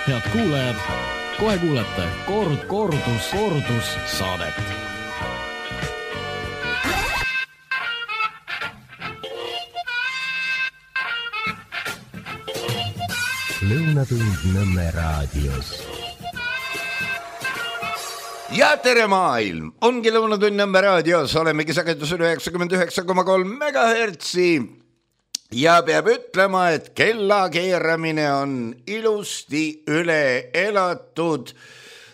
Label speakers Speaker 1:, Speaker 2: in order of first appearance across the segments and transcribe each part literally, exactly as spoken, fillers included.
Speaker 1: Head kuulajad, kohe kuulete kord, kordus, kordus saadet.
Speaker 2: Lõunatund Nõmme raadios.
Speaker 3: Ja tere maailm! Ongi Lõunatund Nõmme raadios, olemegi sagedusel üheksakümmend üheksa koma kolm megahertsi. Ja peab ütlema, et kella keeramine on ilusti üle elatud.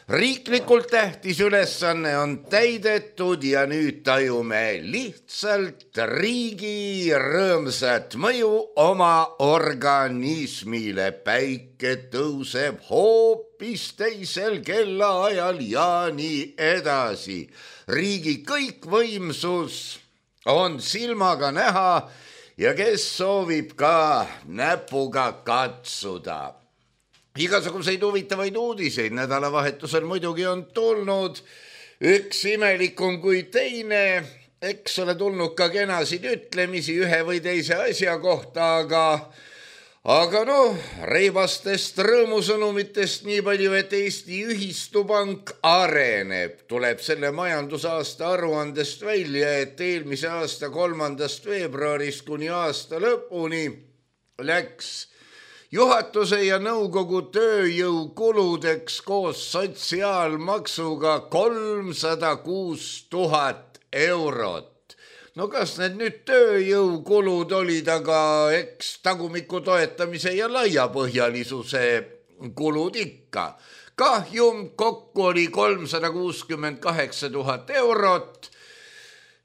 Speaker 3: Riiklikult tähtis ülesanne on täidetud ja nüüd tajume lihtsalt riigi rõõmsat mõju oma organismile. Päike tõuseb hoopis teisel kellaajal ja nii edasi. Riigi kõikvõimsus on silmaga näha ja kes soovib ka näpuga katsuda. Igasuguseid huvitavaid uudiseid nädalavahetusel muidugi on tulnud. Üks imelikum kui teine, eks ole tulnud ka kenasid ütlemisi ühe või teise asja kohta, aga, aga noh, reibastest rõõmusõnumitest nii palju, et Eesti Ühistupank areneb. Tuleb selle majandusaasta aruandest välja, et eelmise aasta kolmandast veebruarist kuni aasta lõpuni läks juhatuse ja nõukogu tööjõukuludeks koos sotsiaalmaksuga kolmsada kuus tuhat eurot. No kas need nüüd tööjõukulud olid, aga eks tagumiku toetamise ja laiapõhjalisuse kulud ikka. Kahjum kokku oli kolmsada kuuskümmend kaheksa tuhat eurot.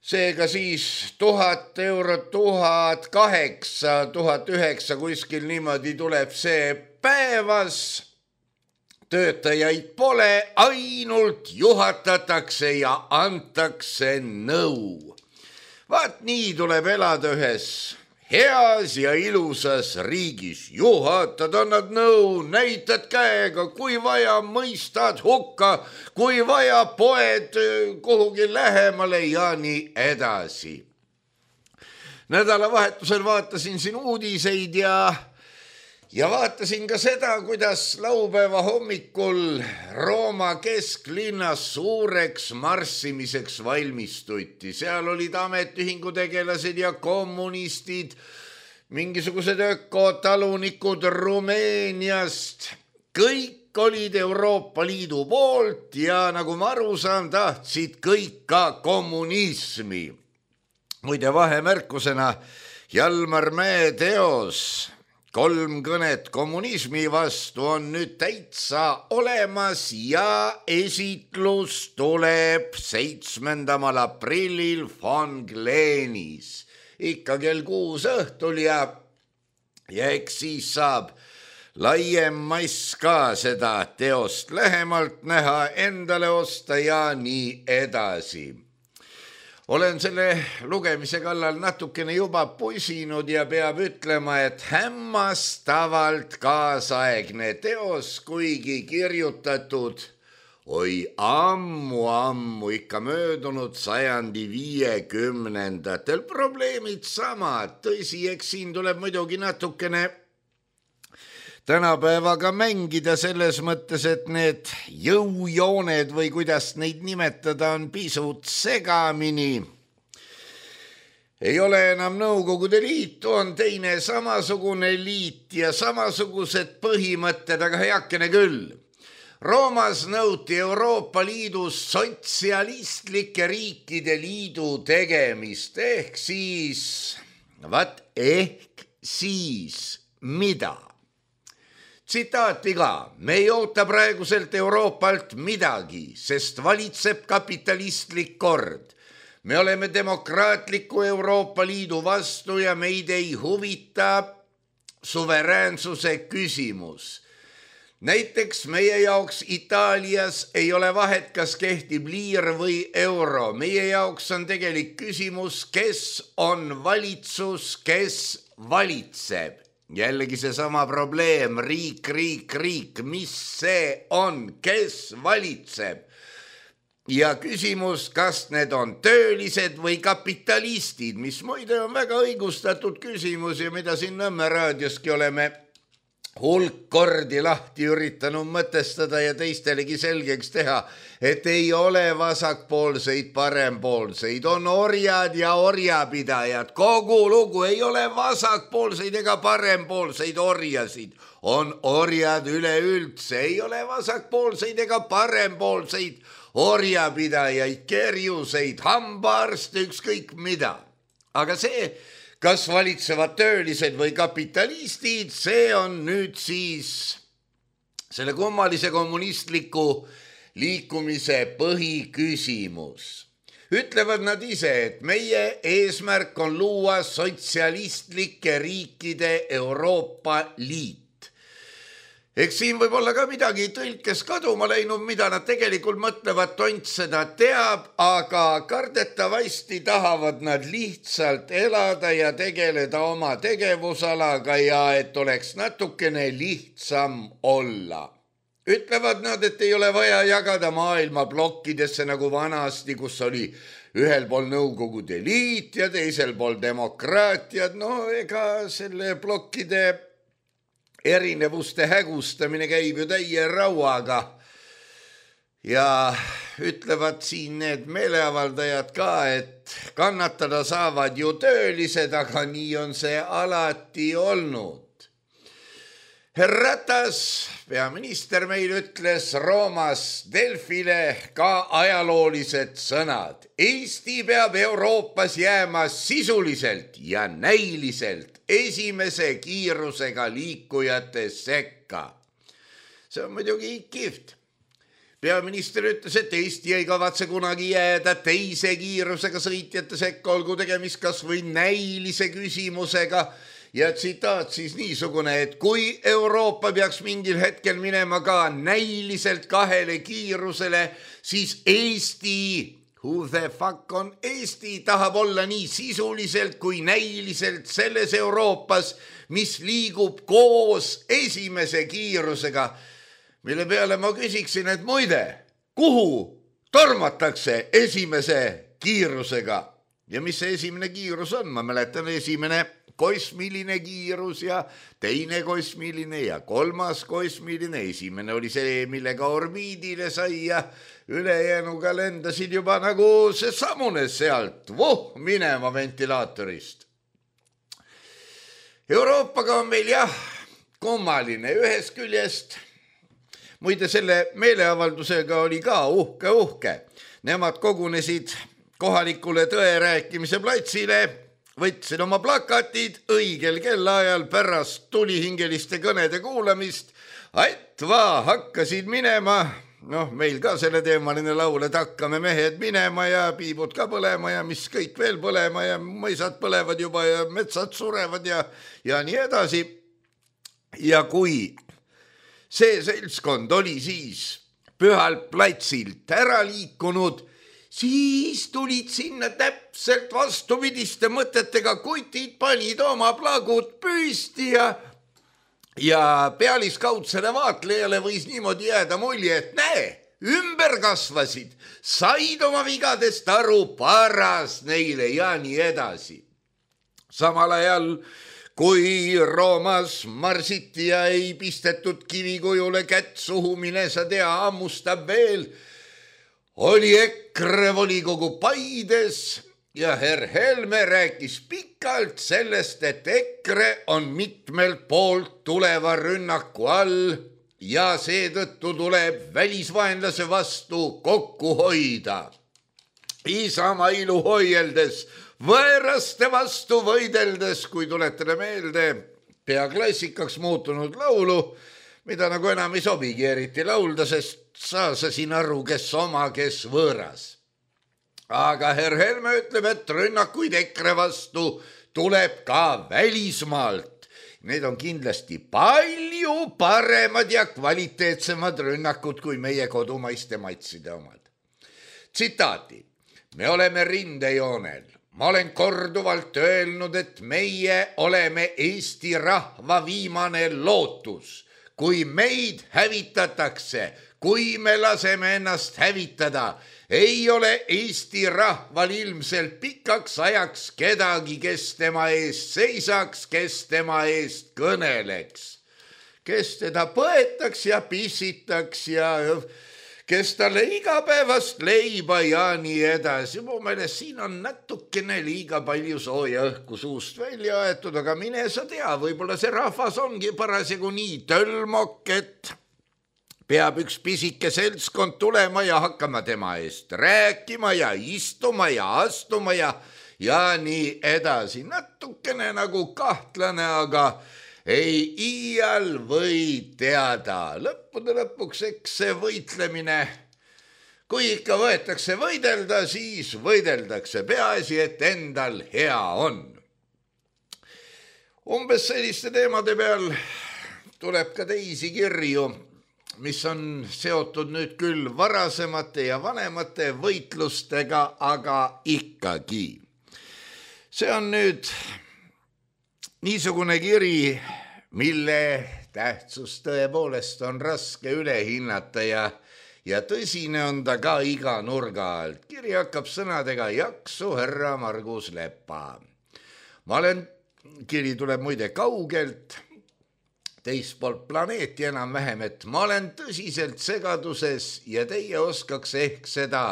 Speaker 3: Seega siis tuhat eurot, tuhat kaheksa, tuhat üheksa, kuskil niimoodi tuleb see päevas. Töötajaid pole, ainult juhatatakse ja antakse nõu. Vaat nii tuleb elada ühes heas ja ilusas riigis. Juhatad, annad nõu, näitad käega, kui vaja, mõistad hukka, kui vaja, poed kuhugi lähemale ja nii edasi. Nädalavahetusel vaatasin siin uudiseid ja, ja vaatasin ka seda, kuidas laupäeva hommikul Rooma kesklinnas suureks marssimiseks valmistuti. Seal olid ametiühingu tegelased ja kommunistid, mingisugused ökotalunikud Rumeeniast. Kõik olid Euroopa Liidu poolt ja nagu ma aru saan, tahtsid kõik ka kommunismi. Muide vahemärkusena Jalmar Mäe teos Kolm kõnet kommunismi vastu on nüüd täitsa olemas ja esitlus tuleb seitsmendal aprillil Von Gleenis. Ikka kell kuus õhtul ja, ja eks siis saab laiem mass ka seda teost lähemalt näha, endale osta ja nii edasi. Olen selle lugemise kallal natukene juba pusinud ja peab ütlema, et hämmastavalt kaasaegne teos, kuigi kirjutatud oi ammu, ammu ikka möödunud sajandi viiekümnendatel. Probleemid samad, tõsi, eks siin tuleb muidugi natukene tänapäevaga mängida selles mõttes, et need jõujooned või kuidas neid nimetada on pisut segamini. Ei ole enam Nõukogude Liitu, on teine samasugune liit ja samasugused põhimõtted, aga heakene küll. Roomas nõuti Euroopa Liidus sotsialistlike riikide liidu tegemist, ehk siis, vat ehk siis mida? Tsitaati ka, me ei oota praeguselt Euroopalt midagi, sest valitseb kapitalistlik kord. Me oleme demokraatliku Euroopa Liidu vastu ja meid ei huvita suveräänsuse küsimus. Näiteks meie jaoks Itaalias ei ole vahet, kas kehtib liir või euro. Meie jaoks on tegelik küsimus, kes on valitsus, kes valitseb. Jällegi see sama probleem, riik, riik, riik, mis see on, kes valitseb? Ja küsimus, kas need on töölised või kapitalistid, mis muide on väga õigustatud küsimus ja mida siin Nõmme raadioski oleme hulk kordi lahti üritanud mõtestada ja teistelegi selgeks teha, et ei ole vasakpoolseid, parempoolseid, on orjad ja orjapidajad. Kogu lugu, ei ole vasakpoolseid ega parempoolseid orjasid. On orjad üleüldse, ei ole vasakpoolseid ega parempoolseid orjapidajaid, kerjuseid, hambaarste, ükskõik mida. Aga see, kas valitsevad töölised või kapitalistid, see on nüüd siis selle kummalise kommunistliku liikumise põhiküsimus. Ütlevad nad ise, et meie eesmärk on luua sotsialistlike riikide Euroopa Liit. Eks siin võib olla ka midagi tõlkes kaduma läinud, mida nad tegelikult mõtlevad, tont seda teab, aga kardetavasti tahavad nad lihtsalt elada ja tegeleda oma tegevusalaga ja et oleks natukene lihtsam olla. Ütlevad nad, et ei ole vaja jagada maailma plokkidesse nagu vanasti, kus oli ühel pool Nõukogude Liit ja teisel pool demokraatiad. No ega selle plokkide erinevuste hägustamine käib ju täie rauaga ja ütlevad siin need meeleavaldajad ka, et kannatada saavad ju töölised, aga nii on see alati olnud. Herr Ratas, peaminister meil ütles Roomas Delfile ka ajaloolised sõnad. Eesti peab Euroopas jääma sisuliselt ja näiliselt esimese kiirusega liikujate sekka. See on muidugi kihvt. Peaminister ütles, et Eesti ei kavatse kunagi jääda teise kiirusega sõitjate sekka, olgu tegemist kas või näilise küsimusega. Ja tsitaat siis niisugune, et kui Euroopa peaks mingil hetkel minema ka näiliselt kahele kiirusele, siis Eesti, who the fuck on Eesti, tahab olla nii sisuliselt kui näiliselt selles Euroopas, mis liigub koos esimese kiirusega, mille peale ma küsiksin, et muide, kuhu tormatakse esimese kiirusega ja mis see esimene kiirus on? Ma mäletan esimene kosmiline kiirus ja teine kosmiline ja kolmas kosmiline. Esimene oli see, millega orbiidile sai ja ülejäänuga lendasid juba nagu see samune sealt voh minema ventilaatorist. Euroopaga on meil jah kummaline ühest küljest. Muide, selle meeleavaldusega oli ka uhke uhke. Nemad kogunesid kohalikule tõe rääkimise platsile, võtsin oma plakatid õigel kellaajal pärast tulihingeliste kõnede kuulamist, aitva hakkasid minema, noh meil ka selle teemaline laul, et hakkame mehed minema ja piibud ka põlema ja mis kõik veel põlema ja mõisad põlevad juba ja metsad surevad ja, ja nii edasi. Ja kui see seltskond oli siis pühalt platsilt ära liikunud, siis tulid sinna täpselt vastupidiste mõtetega kutid, panid oma plagud püsti ja, ja pealiskaudsele vaatlejale võis niimoodi jääda mulje, et näe, ümber kasvasid, said oma vigadest aru, paras neile ja nii edasi. Samal ajal, kui Roomas marsiti ja ei pistetud kivikujule kätt suhu, mine sa tea, ammustab veel, oli EKRE volikogu Paides ja herr Helme rääkis pikalt sellest, et EKRE on mitmelt poolt tuleva rünnaku all ja seetõttu tuleb välisvaenlase vastu kokku hoida. Isamaa ilu hoieldes, võõraste vastu võideldes, kui tuletada meelde pea klassikaks muutunud laulu, mida nagu enam ei sobigi eriti laulda, sest saa sa siin aru, kes oma, kes võõras. Aga herr Helme ütleb, et rünnakuid EKRE vastu tuleb ka välismaalt. Need on kindlasti palju paremad ja kvaliteetsemad rünnakud kui meie kodumaiste matside omad. Tsitaati. Me oleme rindejoonel. Ma olen korduvalt öelnud, et meie oleme Eesti rahva viimane lootus. Kui meid hävitatakse, kui me laseme ennast hävitada, ei ole Eesti rahval ilmselt pikaks ajaks kedagi, kes tema eest seisaks, kes tema eest kõneleks. kes teda põetaks ja pissitaks ja kes talle igapäevast leiba ja nii edasi. Mu meelest siin on natukene liiga palju sooja õhku suust välja aetud, aga mine sa tea, võib-olla see rahvas ongi parasjagu nii tölmok, et peab üks pisike seltskond tulema ja hakkama tema eest rääkima ja istuma ja astuma ja, ja nii edasi. Natukene nagu kahtlane, aga ei iial või teada. Lõppude lõpuks eks see võitlemine, kui ikka võetakse võidelda, siis võideldakse. Peaasi, et endal hea on. Umbes selliste teemade peal tuleb ka teisi kirju, mis on seotud nüüd küll varasemate ja vanemate võitlustega, aga ikkagi. See on nüüd niisugune kiri, mille tähtsus tõepoolest on raske üle hinnata ja, ja tõsine on ta ka iga nurga alt. Kiri hakkab sõnadega jaksu härra Margus Lepa. Ma olen, kiri tuleb muide kaugelt, teist poolt planeeti enam-vähem, et ma olen tõsiselt segaduses ja teie oskaks ehk seda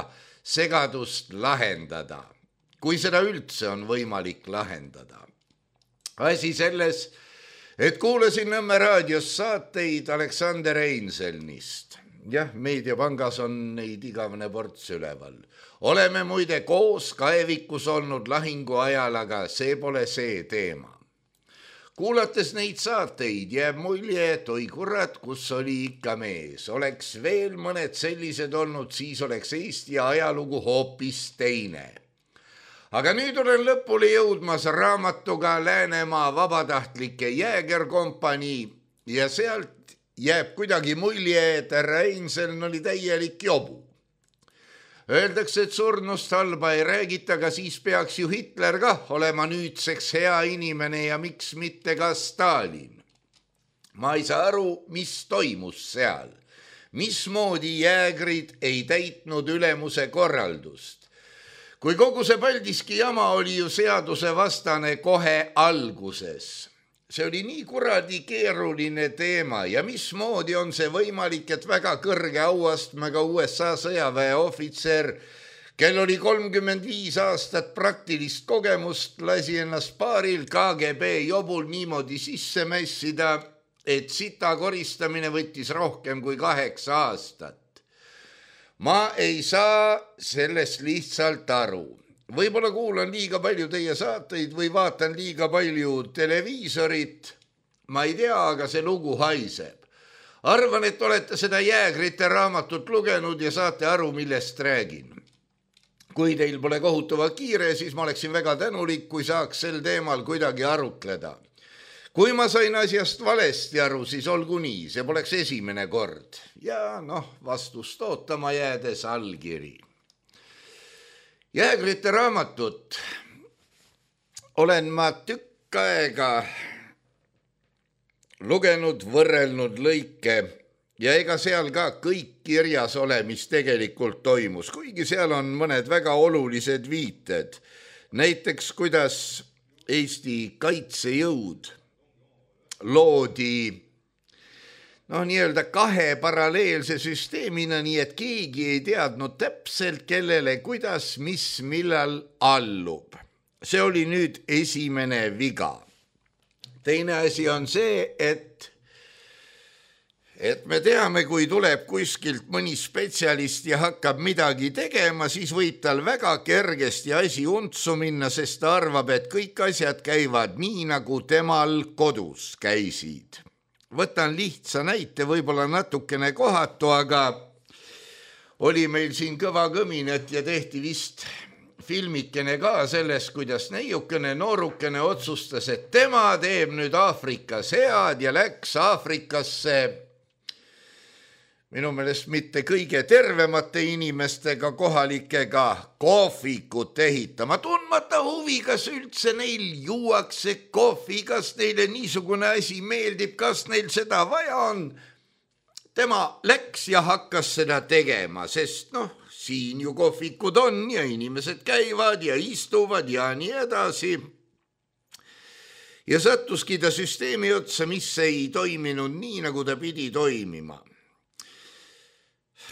Speaker 3: segadust lahendada, kui seda üldse on võimalik lahendada. Asi selles, et kuulasin Nõmme raadios saateid Aleksander Einselnist. Jah, Meediapangas on neid igavene ports üleval. Oleme muide koos kaevikus olnud lahingu ajal, aga see pole see teema. Kuulates neid saateid jääb mulje, et oi kurat, kus oli ikka mees. Oleks veel mõned sellised olnud, siis oleks Eesti ajalugu hoopis teine. Aga nüüd olen lõpule jõudmas raamatuga Läänemaa vabatahtlike jäägerkompanii ja sealt jääb kuidagi mulje, et härra Einsel oli täielik jobu. Öeldakse, et surnust halba ei räägita, aga siis peaks ju Hitler kah olema nüüdseks hea inimene ja miks mitte ka Stalin. Ma ei saa aru, mis toimus seal. Mismoodi jäägrid ei täitnud ülemuse korraldust. Kui kogu see Paldiski jama oli ju seaduse vastane kohe alguses. See oli nii kuradi keeruline teema ja mismoodi on see võimalik, et väga kõrge auastmega U S A sõjaväe ohvitser, kel oli kolmkümmend viis aastat praktilist kogemust, lasi ennast paaril K G B jobul niimoodi sisse mässida, et sita koristamine võttis rohkem kui kaheksa aastat. Ma ei saa sellest lihtsalt aru. Võib-olla kuulan liiga palju teie saateid või vaatan liiga palju televiisorit. Ma ei tea, aga see lugu haiseb. Arvan, et olete seda jäägrite raamatut lugenud ja saate aru, millest räägin. Kui teil pole kohutava kiire, siis ma oleksin väga tänulik, kui saaks sel teemal kuidagi arutleda. Kui ma sain asjast valesti aru, siis olgu nii, see poleks esimene kord. Ja noh, vastust ootama jäädes allkiri. Jäägrite raamatut olen ma tükk aega lugenud, võrrelnud lõike ja ega seal ka kõik kirjas ole, mis tegelikult toimus, kuigi seal on mõned väga olulised viited. Näiteks, kuidas Eesti kaitsejõud loodi noh, nii-öelda kahe paralleelse süsteemina, nii et keegi ei teadnud täpselt, kellele, kuidas, mis, millal allub. See oli nüüd esimene viga. Teine asi on see, et, et me teame, kui tuleb kuskilt mõni spetsialist ja hakkab midagi tegema, siis võib tal väga kergesti asi untsu minna, sest ta arvab, et kõik asjad käivad nii, nagu temal kodus käisid. Võtan lihtsa näite, võib-olla natukene kohatu, aga oli meil siin kõva kõminet ja tehti vist filmikene ka sellest, kuidas neiukene noorukene otsustas, et tema teeb nüüd Aafrikas head ja läks Aafrikasse minu meelest mitte kõige tervemate inimestega kohalikega kohvikut ehitama. Tundmata huvi, kas üldse neil juuakse kohvi, kas neile niisugune asi meeldib, kas neil seda vaja on. Tema läks ja hakkas seda tegema, sest noh, siin ju kohvikud on ja inimesed käivad ja istuvad ja nii edasi. ja sattuski ta süsteemi otsa, mis ei toiminud nii, nagu ta pidi toimima.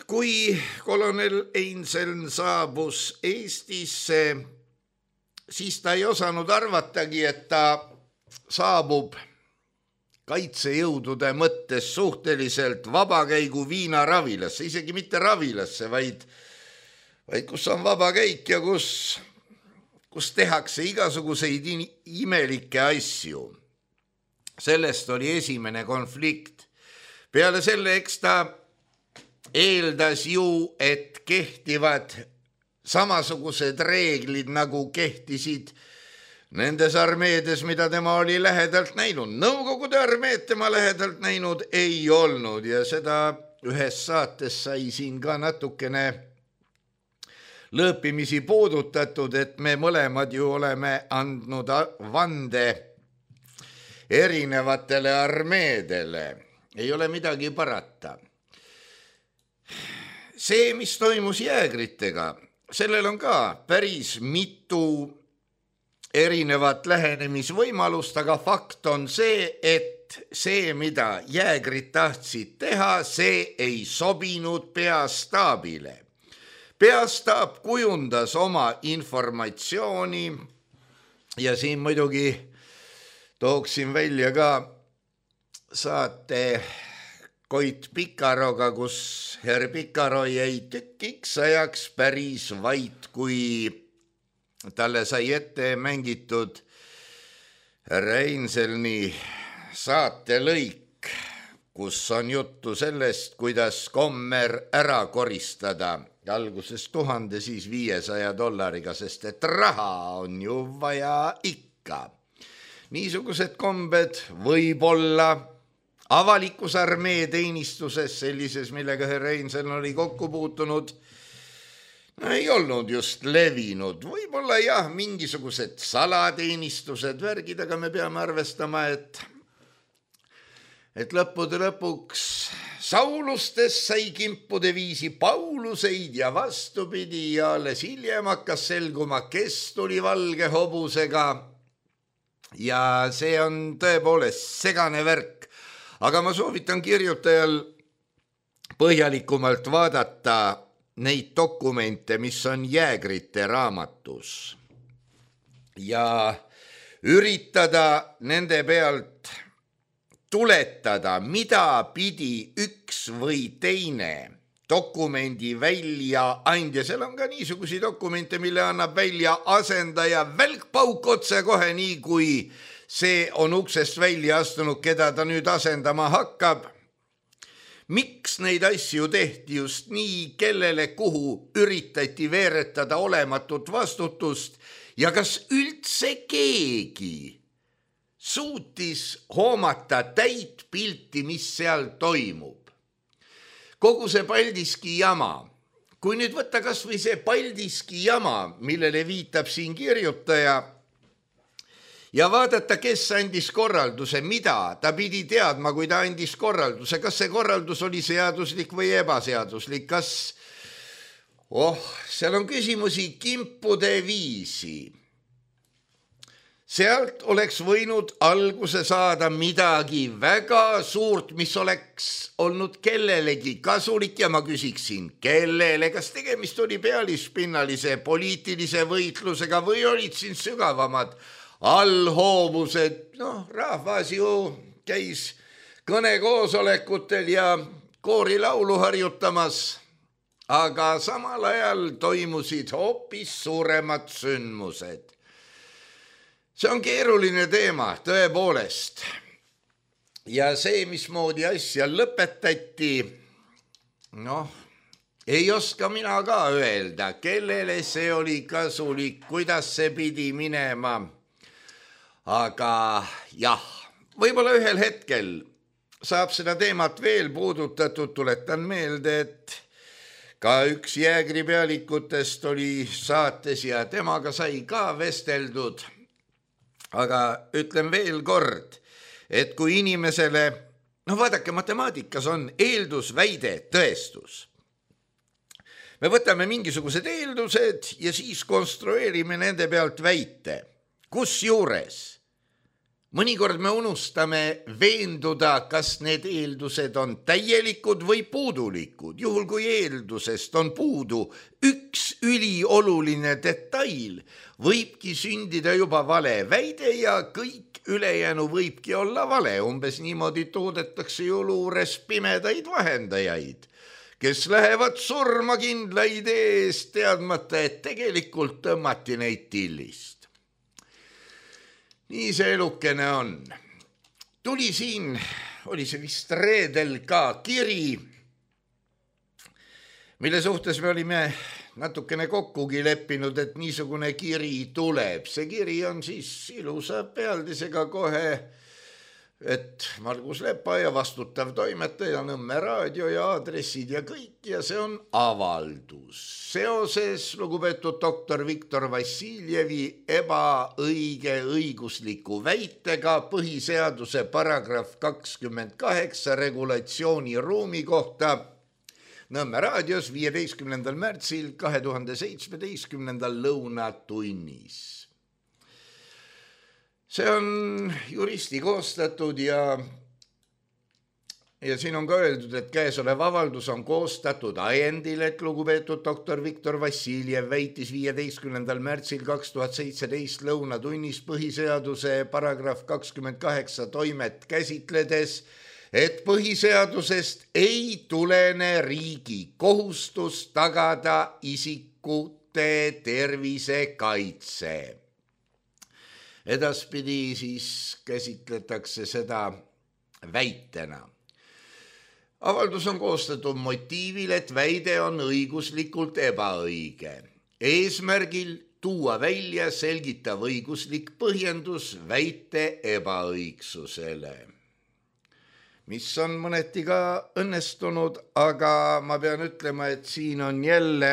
Speaker 3: Kui kolonel Einseln saabus Eestisse, siis ta ei osanud arvatagi, et ta saabub kaitsejõudude mõttes suhteliselt vabakäigu Viina ravilasse, isegi mitte ravilasse, vaid, vaid kus on vabakäik ja kus, kus tehakse igasuguseid imelikke asju. Sellest oli esimene konflikt. Peale selle, eks ta eeldas ju, et kehtivad samasugused reeglid, nagu kehtisid nendes armeedes, mida tema oli lähedalt näinud. Nõukogude armeed tema lähedalt näinud ei olnud ja seda ühes saates sai siin ka natukene lõõpimisi puudutatud, et me mõlemad ju oleme andnud vande erinevatele armeedele. Ei ole midagi parata. See, mis toimus jäägritega, sellel on ka päris mitu erinevat lähenemisvõimalust, aga fakt on see, et see, mida jäägrid tahtsid teha, see ei sobinud peastaabile. Peastaab kujundas oma informatsiooni ja siin muidugi tooksin välja ka saate Koit Pikaroga, kus herr Pikaro jäi tükiks ajaks päris vait, kui talle sai ette mängitud Einselni saatelõik, kus on juttu sellest, kuidas Kommer ära koristada alguses tuhande, siis viiesaja dollariga, sest et raha on ju vaja ikka. Niisugused kombed võib-olla avalikus armee teenistuses, sellises, millega herr Einseln oli kokku puutunud, ei olnud just levinud. Võib-olla jah, mingisugused salateenistused, värgid, aga me peame arvestama, et, et lõppude lõpuks Saulustes sai kimpude viisi Pauluseid ja vastupidi ja alles hiljem hakkas selguma, kes tuli valge hobusega. Ja see on tõepoolest segane värk. Aga ma soovitan kirjutajal põhjalikumalt vaadata neid dokumente, mis on jäägrite raamatus ja üritada nende pealt tuletada, mida pidi üks või teine dokumendi väljaandja. Seal on ka niisugusi dokumente, mille annab välja asendaja välkpauk otse kohe nii, kui see on uksest välja astunud, keda ta nüüd asendama hakkab. Miks neid asju tehti just nii, kellele kuhu üritati veeretada olematut vastutust ja kas üldse keegi suutis hoomata täit pilti, mis seal toimub. Kogu see Paldiski jama, kui nüüd võtta kas või see Paldiski jama, millele viitab siin kirjutaja, ja vaadata, kes andis korralduse, mida ta pidi teadma, kui ta andis korralduse, kas see korraldus oli seaduslik või ebaseaduslik, kas, oh, seal on küsimusi kimpude viisi. Sealt oleks võinud alguse saada midagi väga suurt, mis oleks olnud kellelegi kasulik ja ma küsiksin, kellele, kas tegemist oli pealispinnalise poliitilise võitlusega või olid siin sügavamad allhoovused, noh, rahvas ju käis kõnekoosolekutel ja koorilaulu harjutamas, aga samal ajal toimusid hoopis suuremad sündmused. See on keeruline teema, tõepoolest. Ja see, mismoodi asja lõpetati, noh, ei oska mina ka öelda, kellele see oli kasulik, kuidas see pidi minema. Aga jah, võib-olla ühel hetkel saab seda teemat veel puudutatud, tuletan meelde, et ka üks jäägri pealikutest oli saates ja temaga sai ka vesteldud. Aga ütlen veel kord, et kui inimesele, noh vaadake, matemaatikas on eeldus, väide, tõestus. Me võtame mingisugused eeldused ja siis konstrueerime nende pealt väite. Kus juures mõnikord me unustame veenduda, kas need eeldused on täielikud või puudulikud. Juhul kui eeldusest on puudu üks ülioluline detail, võibki sündida juba vale väide ja kõik ülejäänu võibki olla vale. Umbes niimoodi toodetakse ju luures pimedaid vahendajaid, kes lähevad surma kindla idee eest, teadmata, et tegelikult tõmmati neid tillist. Nii see elukene on. Tuli siin, oli see vist reedel ka kiri, mille suhtes me olime natukene kokkugi leppinud, et niisugune kiri tuleb. See kiri on siis ilusa pealdisega kohe, et Margus Lepa ja vastutav toimetaja, Nõmme raadio ja aadressid ja kõik, ja see on avaldus seoses lugupeetud doktor Viktor Vassiljevi ebaõige õigusliku väitega põhiseaduse paragrahv kakskümmend kaheksa regulatsiooni ruumi kohta Nõmme raadios viieteistkümnendal märtsil kahe tuhande seitsmeteistkümnendal lõunatunnis. See on juristi koostatud ja, ja siin on ka öeldud, et käesolev avaldus on koostatud ajendil, et lugupeetud doktor Viktor Vassiljev väitis viieteistkümnendal märtsil kaks tuhat seitseteist lõunatunnis põhiseaduse paragrahv kakskümmend kaheksa toimet käsitledes, et põhiseadusest ei tulene riigi kohustus tagada isikute tervise kaitse. Edaspidi siis käsitletakse seda väitena. Avaldus on koostatud motiivil, et väide on õiguslikult ebaõige. Eesmärgil tuua välja selgitav õiguslik põhjendus väite ebaõigsusele, mis on mõneti ka õnnestunud, aga ma pean ütlema, et siin on jälle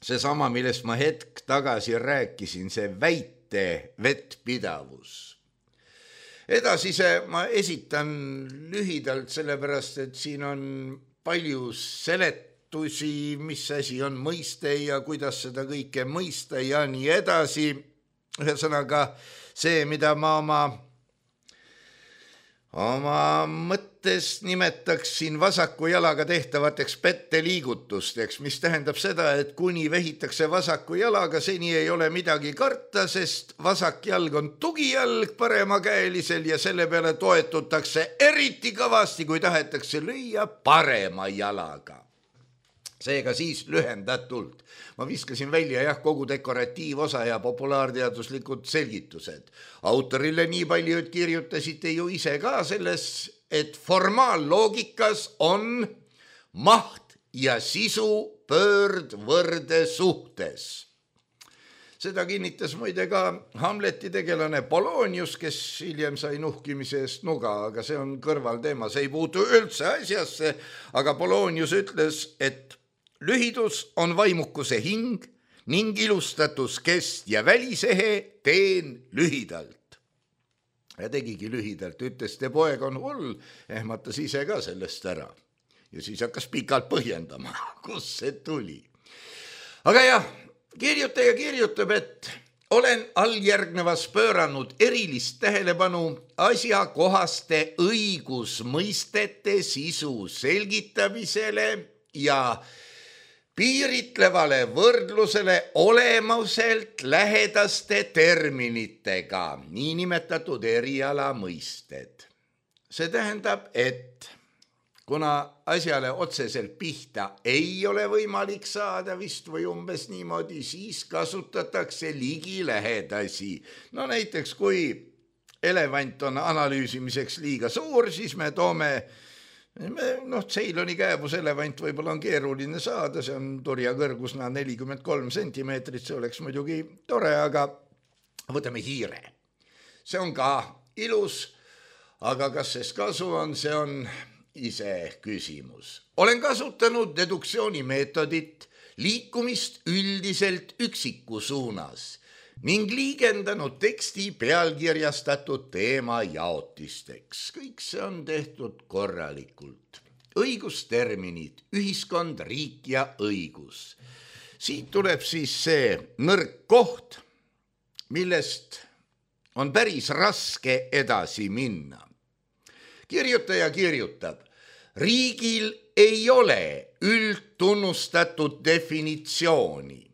Speaker 3: seesama, millest ma hetk tagasi rääkisin, see väite vettpidavus. Edasise ma esitan lühidalt, sellepärast, et siin on palju seletusi, mis asi on mõiste ja kuidas seda kõike mõista ja nii edasi. Ühesõnaga see, mida ma oma Oma mõttes nimetaksin vasaku jalaga tehtavateks petteliigutusteks, mis tähendab seda, et kuni vehitakse vasaku jalaga, seni ei ole midagi karta, sest vasak jalg on tugijalg paremakäelisel ja selle peale toetutakse eriti kõvasti, kui tahetakse lüüa parema jalaga. Seega siis lühendatult. Ma viskasin välja jah, kogu dekoratiivosa ja populaarteaduslikud selgitused. Autorile nii palju, et kirjutasite ju ise ka selles, et formaalloogikas on maht ja sisu pöördvõrde suhtes. Seda kinnitas muide ka Hamleti tegelane Polonius, kes hiljem sai nuhkimise eest nuga, aga see on kõrvalteema, see ei puutu üldse asjasse, aga Polonius ütles, et lühidus on vaimukuse hing ning ilustatus kest ja välisehe teen lühidalt. Ja tegigi lühidalt, ütles, te poeg on hull, ehmatas ise ka sellest ära. Ja siis hakkas pikalt põhjendama, kus see tuli. Aga jah, kirjutaja kirjutab, et olen alljärgnevas pööranud erilist tähelepanu asjakohaste õigusmõistete sisu selgitamisele ja piiritlevale võrdlusele olemuselt lähedaste terminitega, niinimetatud eriala mõisted. See tähendab, et kuna asjale otseselt pihta ei ole võimalik saada vist või umbes niimoodi, siis kasutatakse ligilähedasi. No näiteks, kui elevant on analüüsimiseks liiga suur, siis me toome noh, Ceyloni kääbus elevant võib-olla on keeruline saada, see on turja kõrgusna nelikümmend kolm sentimeetrit, see oleks muidugi tore, aga võtame hiire. See on ka ilus, aga kas sest kasu on, see on ise küsimus. Olen kasutanud deduktsiooni meetodit, liikumist üldiselt üksiku suunas ning liigendanud teksti pealkirjastatud teema jaotisteks. Kõik see on tehtud korralikult. Õigusterminid, ühiskond, riik ja õigus. Siit tuleb siis see nõrk koht, millest on päris raske edasi minna. Kirjutaja kirjutab, riigil ei ole üldtunnustatud definitsiooni.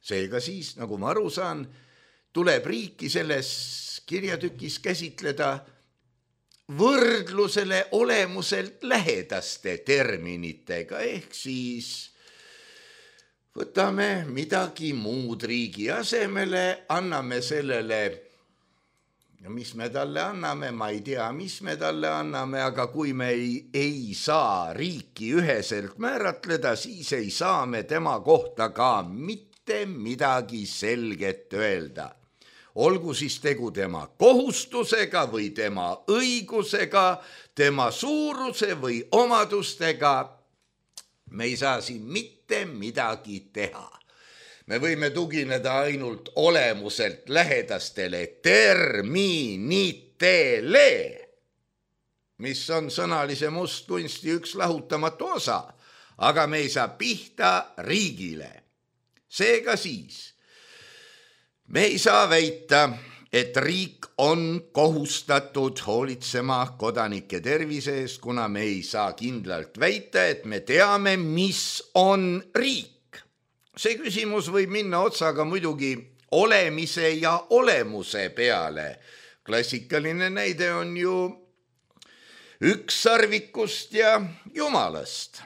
Speaker 3: Seega siis, nagu ma aru saan, tuleb riiki selles kirjatükis käsitleda võrdlusele olemuselt lähedaste terminitega, ehk siis võtame midagi muud riigi asemele, anname sellele, mis me talle anname, ma ei tea, mis me talle anname, aga kui me ei, ei saa riiki üheselt määratleda, siis ei saa me tema kohta ka mitte midagi selget öelda. Olgu siis tegu tema kohustusega või tema õigusega, tema suuruse või omadustega, me ei saa siin mitte midagi teha. Me võime tugineda ainult olemuselt lähedastele terminitele, mis on sõnalise mustkunsti üks lahutamatu osa, aga me ei saa pihta riigile. Seega siis, me ei saa väita, et riik on kohustatud hoolitsema kodanike tervise eest, kuna me ei saa kindlalt väita, et me teame, mis on riik. See küsimus võib minna otsaga muidugi olemise ja olemuse peale. Klassikaline näide on ju ükssarvikust ja jumalast.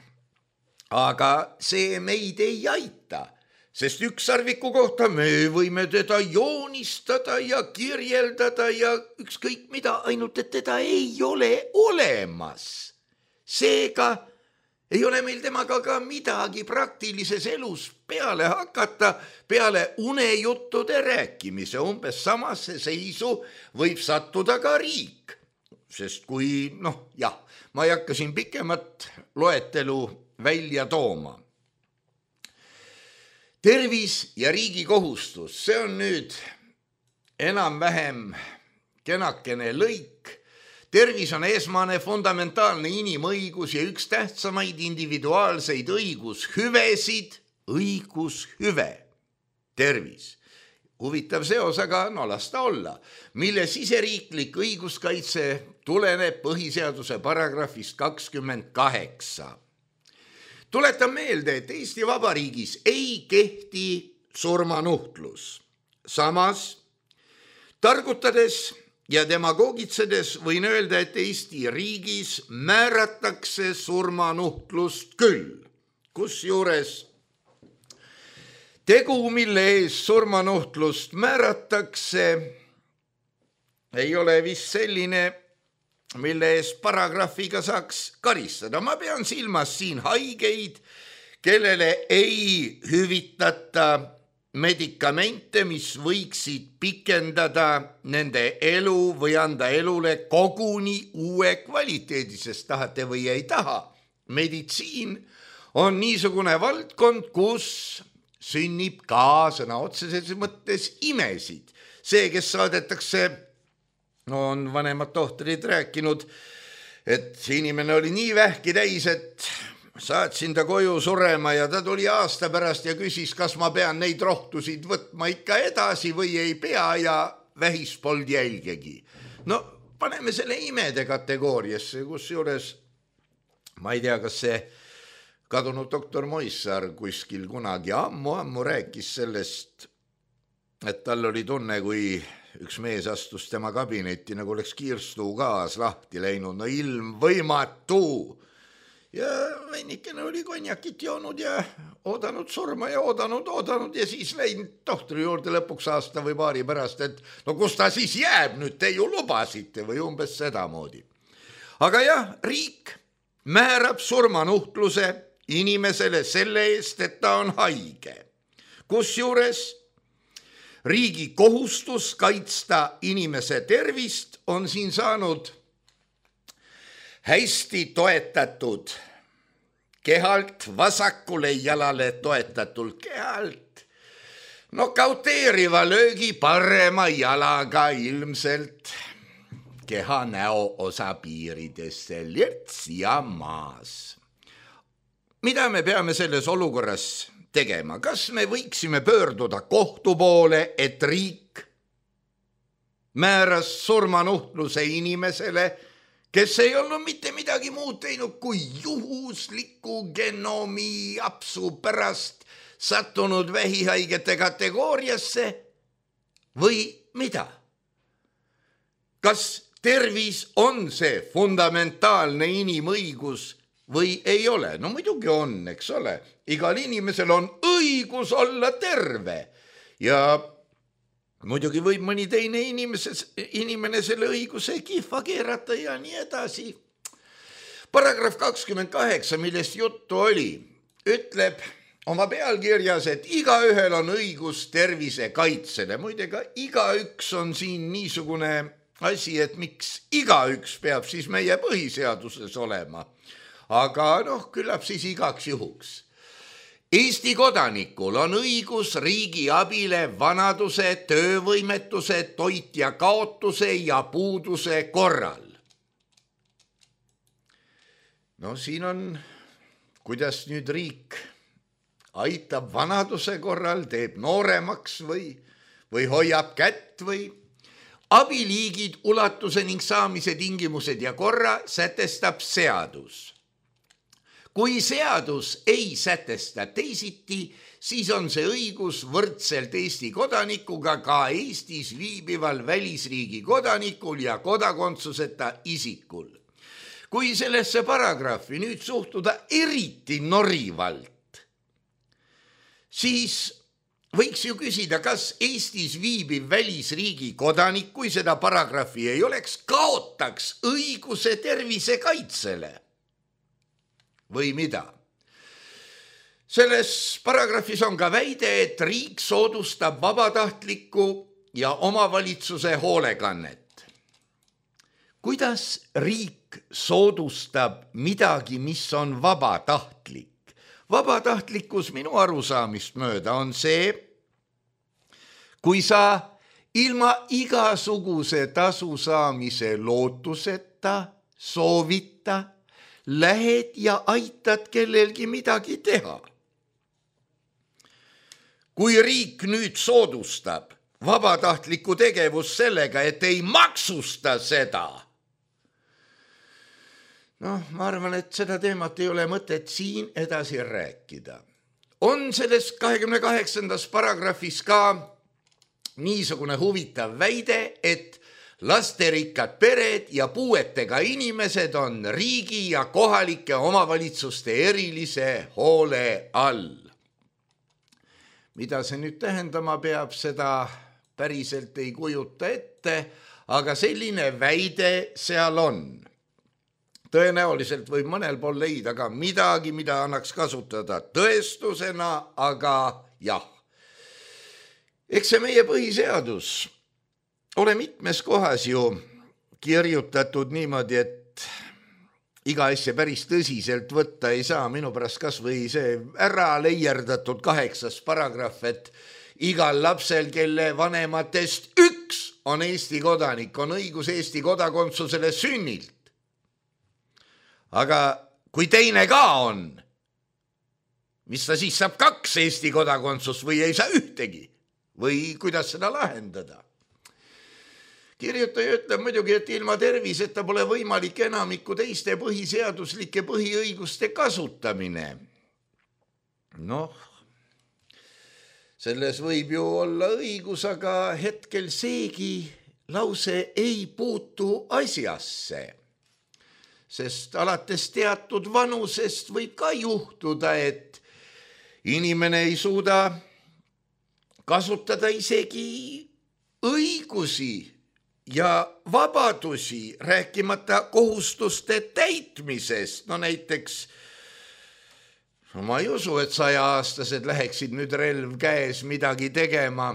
Speaker 3: Aga see meid ei aita. Sest ükssarviku kohta me võime teda joonistada ja kirjeldada ja ükskõik mida, ainult et teda ei ole olemas. Seega ei ole meil temaga ka midagi praktilises elus peale hakata, peale unejuttude rääkimise. Umbes samasse seisu võib sattuda ka riik. Sest kui, noh jah, ma ei hakka siin pikemat loetelu välja tooma. Tervis ja riigi kohustus, see on nüüd enam-vähem kenakene lõik. Tervis on esmane fundamentaalne inimõigus ja üks tähtsamaid individuaalseid õigushüvesid, õigushüve, tervis. Huvitav seos, aga no las ta olla, mille siseriiklik õiguskaitse tuleneb põhiseaduse paragrahvist kakskümmend kaheksa. Tuletan meelde, et Eesti Vabariigis ei kehti surmanuhtlus. Samas, targutades ja demagoogitsedes võin öelda, et Eesti riigis määratakse surmanuhtlust küll. Kusjuures tegu, mille ees surmanuhtlust määratakse, ei ole vist selline, mille ees paragrahviga saaks karistada. Ma pean silmas siin haigeid, kellele ei hüvitata medikamente, mis võiksid pikendada nende elu või anda elule koguni uue kvaliteedi, sest tahate või ei taha. Meditsiin on niisugune valdkond, kus sünnib ka sõna otseses mõttes imesid. See, kes saadetakse, on vanemad tohtrid rääkinud, et inimene oli nii vähki täis, et saatsin ta koju surema ja ta tuli aasta pärast ja küsis, kas ma pean neid rohtusid võtma ikka edasi või ei pea ja vähis polnud jälgegi. No paneme selle imede kategooriasse, kus juures, ma ei tea, kas see kadunud doktor Moissaar kuskil kunagi ammu-ammu rääkis sellest, et tal oli tunne, kui üks mees astus tema kabinetti, nagu oleks kiirstuu gaas lahti läinud, no ilm võimatu. Ja veinikene oli konjakit joonud ja oodanud surma ja oodanud, oodanud ja siis läinud tohtri juurde lõpuks aasta või paari pärast, et no kus ta siis jääb nüüd, te ju lubasite või umbes sedamoodi. Aga jah, riik määrab surmanuhtluse inimesele selle eest, et ta on haige. Kusjuures riigi kohustus kaitsta inimese tervist on siin saanud hästi toetatud kehalt, vasakule jalale toetatult kehalt, nokauteeriva löögi parema jalaga ilmselt keha näoosa piiridesse lirts ja maas. Mida me peame selles olukorras tegema? Kas me võiksime pöörduda kohtu poole, et riik määras surmanuhtluse inimesele, kes ei olnud mitte midagi muud teinud kui juhusliku genoomi apsu pärast sattunud vähihaigete kategooriasse või mida? Kas tervis on see fundamentaalne inimõigus või ei ole? No muidugi on, eks ole. Igal inimesel on õigus olla terve ja muidugi võib mõni teine inimeses, inimene selle õiguse kihva keerata ja nii edasi. Paragrahv kakskümmend kaheksa, millest juttu oli, ütleb oma pealkirjas, et igaühel on õigus tervise kaitsele. Muide ka igaüks on siin niisugune asi, et miks igaüks peab siis meie põhiseaduses olema. Aga noh, küllap siis igaks juhuks. Eesti kodanikul on õigus riigi abile vanaduse, töövõimetuse, toitja kaotuse ja puuduse korral. No siin on, kuidas nüüd riik aitab vanaduse korral, teeb nooremaks või, või hoiab kätt või abiliigid, ulatuse ning saamise tingimused ja korra sätestab seadus. Kui seadus ei sätesta teisiti, siis on see õigus võrdselt Eesti kodanikuga ka Eestis viibival välisriigi kodanikul ja kodakondsuseta isikul. Kui sellesse paragrahvi nüüd suhtuda eriti norivalt, siis võiks ju küsida, kas Eestis viibib välisriigi kodanik, kui seda paragrahvi ei oleks, kaotaks õiguse tervise kaitsele. Või mida? Selles paragrahvis on ka väide, et riik soodustab vabatahtlikku ja omavalitsuse hoolekannet. Kuidas riik soodustab midagi, mis on vabatahtlik? Vabatahtlikkus minu arusaamist mööda on see, kui sa ilma igasuguse tasu saamise lootuseta, soovita, lähed ja aitad kellelgi midagi teha. Kui riik nüüd soodustab vabatahtlikku tegevust sellega, et ei maksusta seda, noh, ma arvan, et seda teemat ei ole mõtet siin edasi rääkida. On selles kahekümne kaheksandas paragrahvis ka niisugune huvitav väide, et lasterikkad pered ja puuetega inimesed on riigi ja kohalike omavalitsuste erilise hoole all. Mida see nüüd tähendama peab, seda päriselt ei kujuta ette, aga selline väide seal on. Tõenäoliselt võib mõnel pool leida ka midagi, mida annaks kasutada tõestusena, aga jah. Eks see meie põhiseadus ole mitmes kohas ju kirjutatud niimoodi, et iga asja päris tõsiselt võtta ei saa. Minu pärast kas või see ära leierdatud kaheksas paragrahv, et igal lapsel, kelle vanematest üks on Eesti kodanik, on õigus Eesti kodakondsusele sünnilt. Aga kui teine ka on, mis ta siis saab kaks Eesti kodakondsust või ei saa ühtegi? Või kuidas seda lahendada? Kirjutaja ütleb muidugi, et ilma terviseta pole võimalik enamiku teiste põhiseaduslike põhiõiguste kasutamine. Noh, selles võib ju olla õigus, aga hetkel seegi lause ei puutu asjasse. Sest alates teatud vanusest võib ka juhtuda, et inimene ei suuda kasutada isegi õigusi ja vabadusi, rääkimata kohustuste täitmisest. No näiteks, no ma ei usu, et sajaaastased läheksid nüüd relv käes midagi tegema.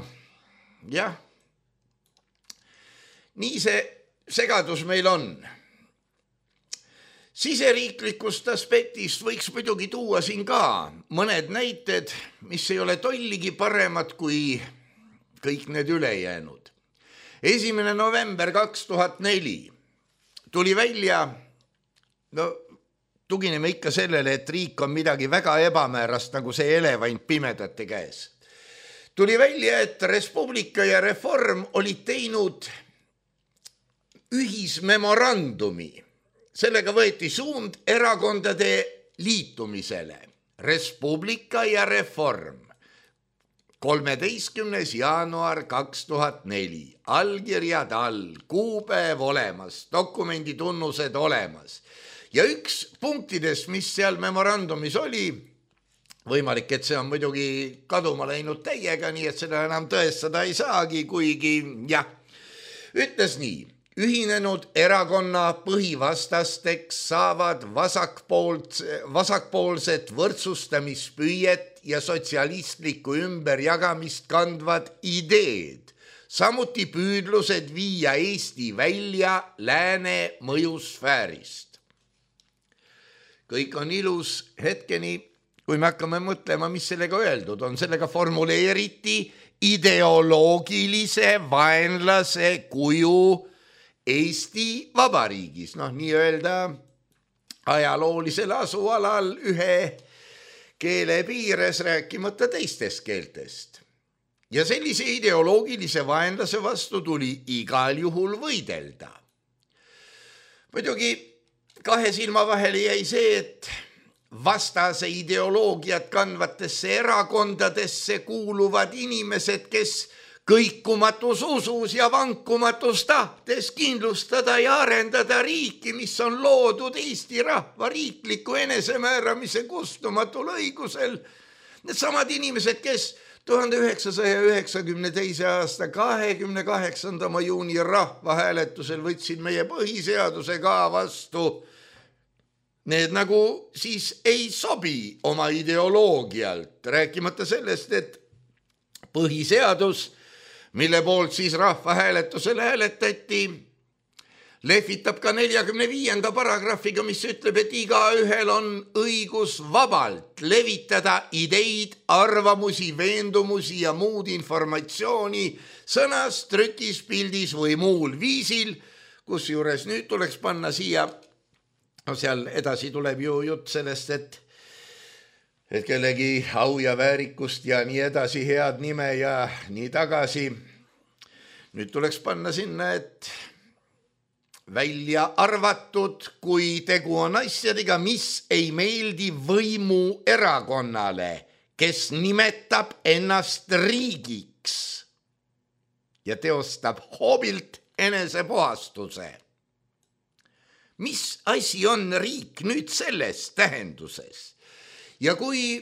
Speaker 3: Jah, nii see segadus meil on. Siseriiklikust aspektist võiks muidugi tuua siin ka mõned näited, mis ei ole tolligi paremad kui kõik need ülejäänud. esimene november kaks tuhat neli tuli välja, no tugineme ikka sellele, et riik on midagi väga ebamäärast, nagu see elevant pimedate käes. Tuli välja, et Res Publica ja Reform olid teinud ühismemorandumi. Sellega võeti suund erakondade liitumisele. Res Publica ja Reform. kolmeteistkümnes jaanuar kaks tuhat neli. Allkirjad all, kuupäev olemas, dokumendi tunnused olemas. Ja üks punktidest, mis seal memorandumis oli, võimalik, et see on muidugi kaduma läinud täiega, nii et seda enam tõestada ei saagi, kuigi jah, ütles nii. Ühinenud erakonna põhivastasteks saavad vasakpoolt, vasakpoolset võrdsustamispüüet ja sotsialistlikku ümberjagamist kandvad ideed, samuti püüdlused viia Eesti välja lääne mõjusfäärist. Kõik on ilus hetkeni, kui me hakkame mõtlema, mis sellega öeldud on. Sellega formuleeriti ideoloogilise vaenlase kuju Eesti Vabariigis, noh nii öelda ajaloolisel asualal ühe keele piires, rääkimata teistest keeltest. Ja sellise ideoloogilise vaenlase vastu tuli igal juhul võidelda. Muidugi kahe silma vahele jäi see, et vastase ideoloogiat kandvatesse erakondadesse kuuluvad inimesed, kes kõikumatus usus ja vankumatus tahtes kindlustada ja arendada riiki, mis on loodud Eesti rahva riikliku enesemääramise kustumatul õigusel. Need samad inimesed, kes tuhande üheksasaja üheksakümne teise aasta kahekümne kaheksanda juuni rahvahääletusel võtsid meie põhiseaduse ka vastu, need nagu siis ei sobi oma ideoloogialt, rääkimata sellest, et põhiseadus, mille poolt siis rahvahääletusele hääletati, lehvitab ka neljakümne viienda paragrahviga, mis ütleb, et igaühel on õigus vabalt levitada ideid, arvamusi, veendumusi ja muud informatsiooni sõnas, trükis, pildis või muul viisil, kus juures nüüd tuleks panna siia, no seal edasi tuleb ju jutt sellest, et et kellegi au ja väärikust ja nii edasi, head nime ja nii tagasi. Nüüd tuleks panna sinna, et välja arvatud, kui tegu on asjadega, mis ei meeldi võimu erakonnale, kes nimetab ennast riigiks ja teostab hoobilt enesepuhastuse. Mis asi on riik nüüd selles tähenduses? Ja kui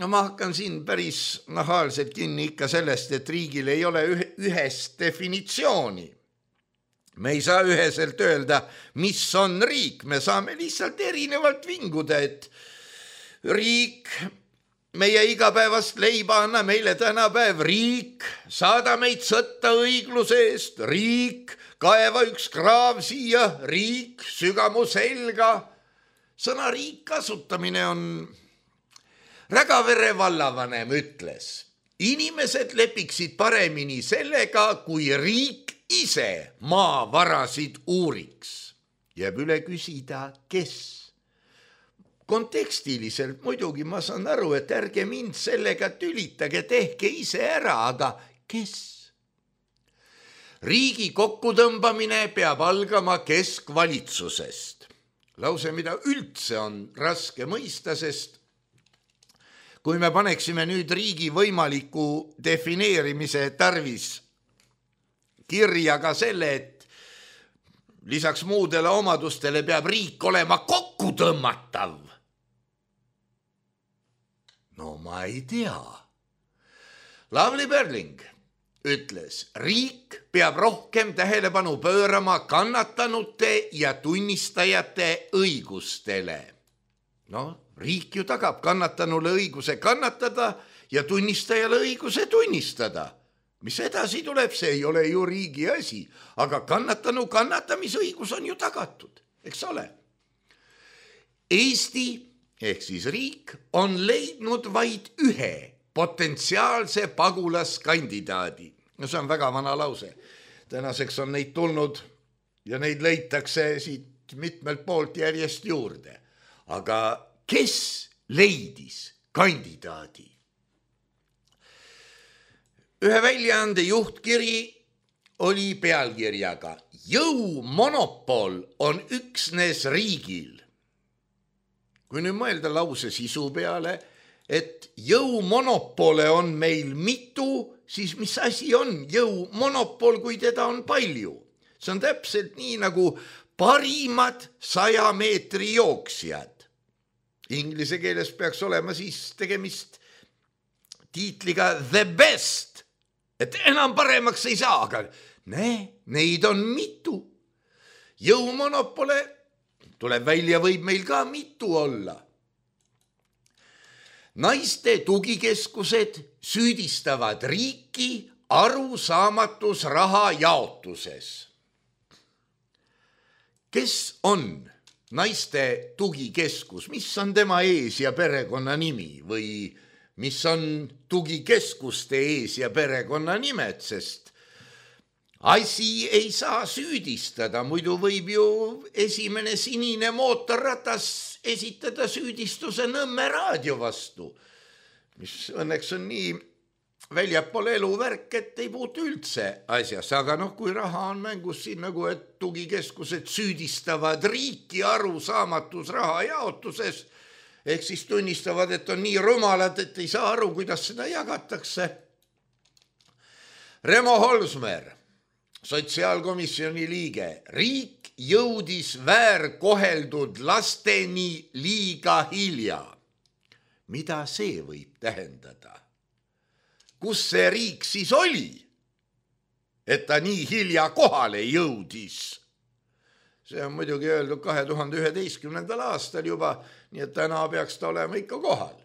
Speaker 3: no ma hakkan siin päris nahaalselt kinni ikka sellest, et riigil ei ole ühest definitsiooni. Me ei saa üheselt öelda, mis on riik. Me saame lihtsalt erinevalt vinguda, et riik, meie igapäevast leiba anna meile tänapäev, riik, saada meid sõtta õigluse eest, riik, kaeva üks kraav siia, riik, sügamu selga. Sõna riik kasutamine on Rägavere vallavanem ütles, inimesed lepiksid paremini sellega, kui riik ise maavarasid uuriks. Jääb üle küsida, kes? Kontekstiliselt muidugi ma saan aru, et ärge mind sellega tülitage, tehke ise ära, aga kes? Riigi kokkutõmbamine peab algama keskvalitsusest. Lause, mida üldse on raske mõista, sest kui me paneksime nüüd riigi võimaliku defineerimise tarvis kirja ka selle, et lisaks muudele omadustele peab riik olema kokkutõmmatav. No ma ei tea. Lavly Perling ütles, riik peab rohkem tähelepanu pöörama kannatanute ja tunnistajate õigustele. No, riik ju tagab kannatanule õiguse kannatada ja tunnistajale õiguse tunnistada. Mis edasi tuleb, see ei ole ju riigi asi, aga kannatanu kannatamisõigus on ju tagatud, eks ole. Eesti ehk siis riik on leidnud vaid ühe potentsiaalse pagulaskandidaadi. No see on väga vana lause. Tänaseks on neid tulnud ja neid leitakse siit mitmelt poolt järjest juurde. Aga kes leidis kandidaadi? Ühe väljaande juhtkiri oli pealkirjaga jõumonopol on üksnes riigil. Kui nüüd mõelda lause sisu peale, et jõumonopole on meil mitu, siis mis asi on jõumonopol, kui teda on palju? See on täpselt nii nagu parimad saja meetri jooksjad. Inglise keeles peaks olema siis tegemist tiitliga the best, et enam paremaks ei saa, aga ne, neid on mitu. Jõumonopole tuleb välja, võib meil ka mitu olla. Naiste tugikeskused süüdistavad riiki arusaamatus raha jaotuses. Kes on naiste tugikeskus? Mis on tema ees- ja perekonna nimi või mis on tugikeskuste ees- ja perekonna nimed, sest asi ei saa süüdistada, muidu võib ju esimene sinine mootorratas esitada süüdistuse Nõmme raadio vastu, mis õnneks on nii väljapool eluvärk, et ei puutu üldse asjas, aga noh, kui raha on mängus siin nagu, et tugikeskused süüdistavad riiki arusaamatus raha jaotuses, ehk siis tunnistavad, et on nii rumalad, et ei saa aru, kuidas seda jagatakse. Remo Holsmer, sotsiaalkomisjoni liige, riik jõudis väärkoheldud lasteni liiga hilja. Mida see võib tähendada? Kus see riik siis oli, et ta nii hilja kohale jõudis? See on muidugi öeldud kahe tuhande üheteistkümnendal aastal juba, nii et täna peaks ta olema ikka kohal.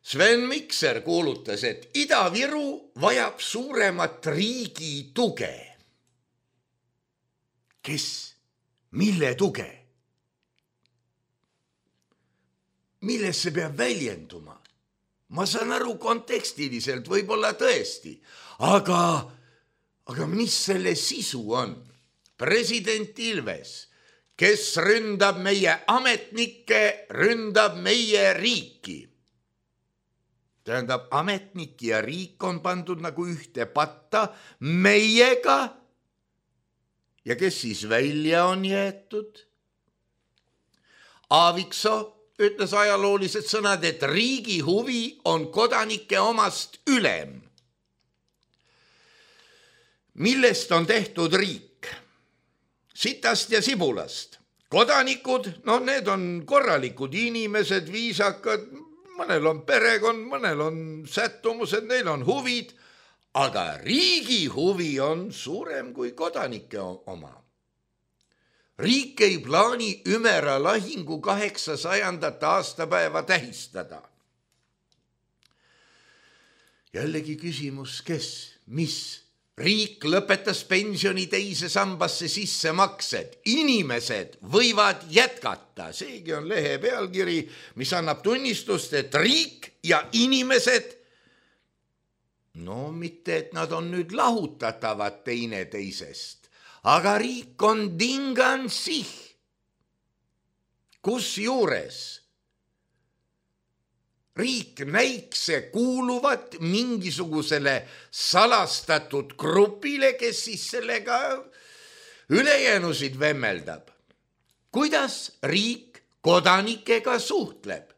Speaker 3: Sven Mikser kuulutas, et Ida-Viru vajab suuremat riigi tuge. Kes? Mille tuge? Milles see peab väljenduma? Ma saan aru kontekstiliselt, võib-olla tõesti, aga, aga mis selle sisu on? President Ilves, kes ründab meie ametnikke, ründab meie riiki. Tähendab, ametnik ja riik on pandud nagu ühte patta meiega. Ja kes siis välja on jäetud? Aaviksoo ütles ajaloolised sõnad, et riigi huvi on kodanike omast ülem. Millest on tehtud riik? Sitast ja sibulast. Kodanikud, no need on korralikud inimesed, viisakad, mõnel on perekond, mõnel on sättumused, neil on huvid, aga riigi huvi on suurem kui kodanike oma. Riik ei plaani Ümera lahingu kaheksasajandat aastapäeva tähistada. Jällegi küsimus, kes, mis? Riik lõpetas pensioni teise sambasse sissemaksed. Inimesed võivad jätkata. Seegi on lehe pealkiri, mis annab tunnistust, et riik ja inimesed, no mitte, et nad on nüüd lahutatavad teine teisest, aga riik on dingan sih. Kus juures riik näikse kuuluvat mingisugusele salastatud grupile, kes siis sellega ülejäänusid vemmeldab. Kuidas riik kodanikega suhtleb?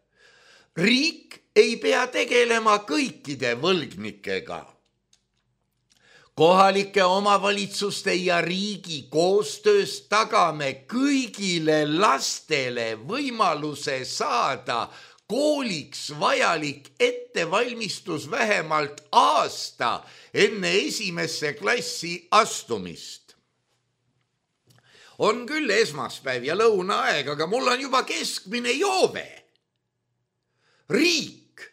Speaker 3: Riik ei pea tegelema kõikide võlgnikega. Kohalike omavalitsuste ja riigi koostöös tagame kõigile lastele võimaluse saada kooliks vajalik ettevalmistus vähemalt aasta enne esimesse klassi astumist. On küll esmaspäev ja lõunaaeg, aga mul on juba keskmine joove. Riik,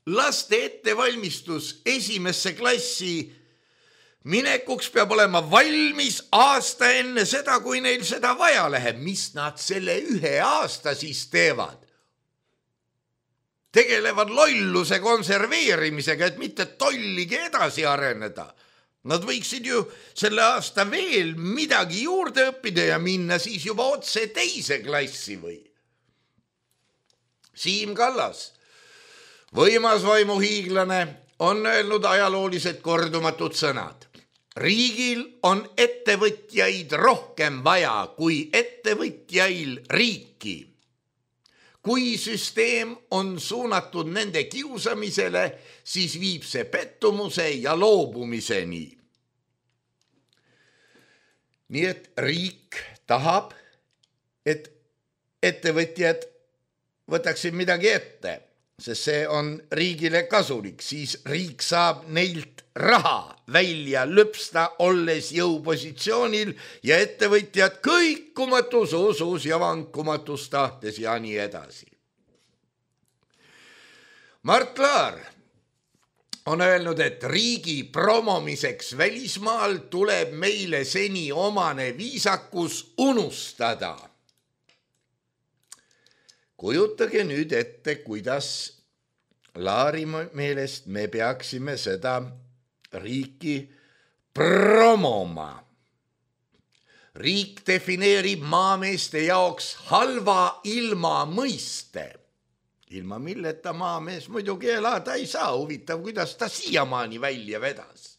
Speaker 3: laste ettevalmistus esimesse klassi minekuks peab olema valmis aasta enne seda, kui neil seda vaja läheb. Mis nad selle ühe aasta siis teevad? Tegelevad lolluse konserveerimisega, et mitte tolligi edasi areneda. Nad võiksid ju selle aasta veel midagi juurde õppida ja minna siis juba otse teise klassi või. Siim Kallas, võimas vaimuhiiglane, on öelnud ajaloolised kordumatud sõnad. riigil on ettevõtjaid rohkem vaja kui ettevõtjail riiki. Kui süsteem on suunatud nende kiusamisele, siis viib see pettumuse ja loobumiseni. Nii et riik tahab, et ettevõtjad võtaksid midagi ette, sest see on riigile kasulik, siis riik saab neilt raha välja lõpsta, olles jõupositsioonil ja ettevõtjad kõikumatus usus ja vankumatus tahtes ja nii edasi. Mart Laar on öelnud, et riigi promomiseks välismaal tuleb meile seni omane viisakus unustada. Kujutage nüüd ette, kuidas Laari meelest me peaksime seda riiki promoma. Riik defineerib maameeste jaoks halva ilma mõiste. Ilma milleta maamees muidugi elada ei saa, huvitav, kuidas ta siiamaani välja vedas.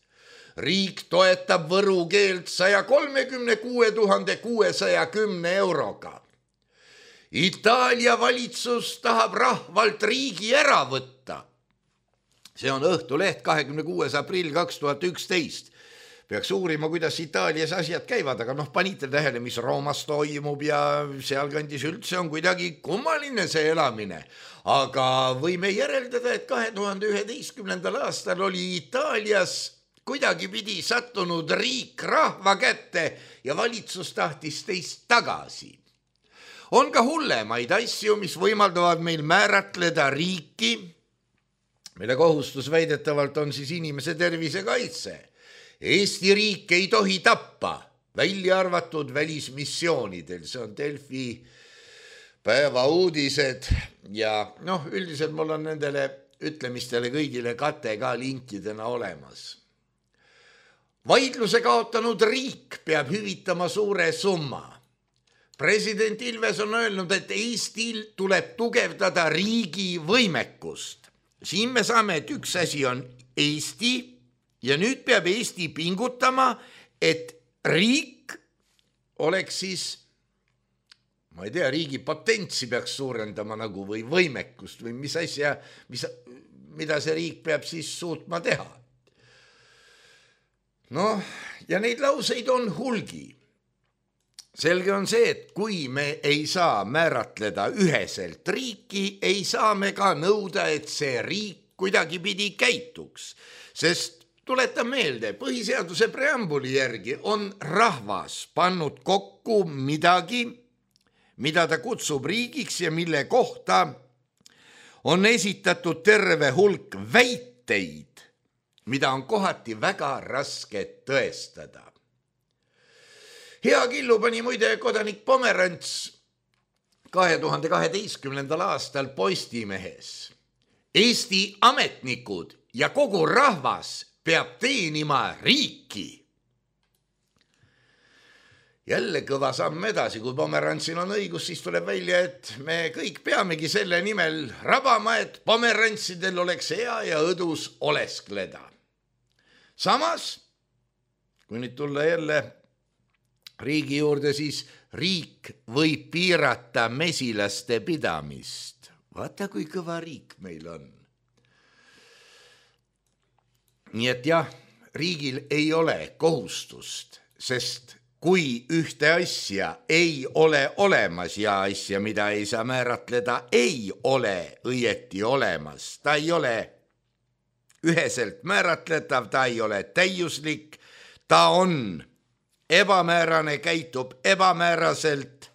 Speaker 3: Riik toetab võru keelt saja kolmekümne kuue tuhande kuuesaja kümne euroga. Itaalia valitsus tahab rahvalt riigi ära võtta. See on Õhtuleht kahekümne kuues aprill kaks tuhat üksteist. Peaks uurima, kuidas Itaalias asjad käivad, aga noh, panite tähele, mis Roomas toimub ja sealkandis üldse on kuidagi kummaline see elamine. Aga võime järeldada, et kahe tuhande üheteistkümnendal aastal oli Itaalias kuidagi pidi sattunud riik rahva kätte ja valitsus tahtis teist tagasi. On ka hullemaid asju, mis võimaldavad meil määratleda riiki, mille kohustus väidetavalt on siis inimese tervise kaitse. Eesti riik ei tohi tappa, välja arvatud välismissioonidel, see on Delfi päeva uudised ja noh, üldiselt mul on nendele ütlemistele kõigile kate ka linkidena olemas. Vaidluse kaotanud riik peab hüvitama suure summa. President Ilves on öelnud, et Eestil tuleb tugevdada riigi võimekust. Siin me saame, et üks asi on Eesti ja nüüd peab Eesti pingutama, et riik oleks siis, ma ei tea, riigi potentsi peaks suurendama nagu või võimekust või mis asja, mis, mida see riik peab siis suutma teha. Noh, ja neid lauseid on hulgi. Selge on see, et kui me ei saa määratleda üheselt riiki, ei saa me ka nõuda, et see riik kuidagi pidi käituks, sest tuletan meelde, põhiseaduse preambuli järgi on rahvas pannud kokku midagi, mida ta kutsub riigiks ja mille kohta on esitatud terve hulk väiteid, mida on kohati väga raske tõestada. Hea Killu pani muide kodanik Pomerants kahe tuhande kaheteistkümnendal aastal Postimehes. Eesti ametnikud ja kogu rahvas peab teenima riiki. Jälle kõva samm edasi, kui Pomerantsil on õigus, siis tuleb välja, et me kõik peamegi selle nimel rabama, et pomerantsidel oleks hea ja õdus oleskleda. Samas, kui nüüd tulla jälle riigi juurde, siis riik võib piirata mesilaste pidamist. Vaata, kui kõva riik meil on. Nii et jah, riigil ei ole kohustust, sest kui ühte asja ei ole olemas ja asja, mida ei saa määratleda, ei ole õieti olemas. Ta ei ole üheselt määratletav, ta ei ole täiuslik, ta on ebamäärane, käitub ebamääraselt.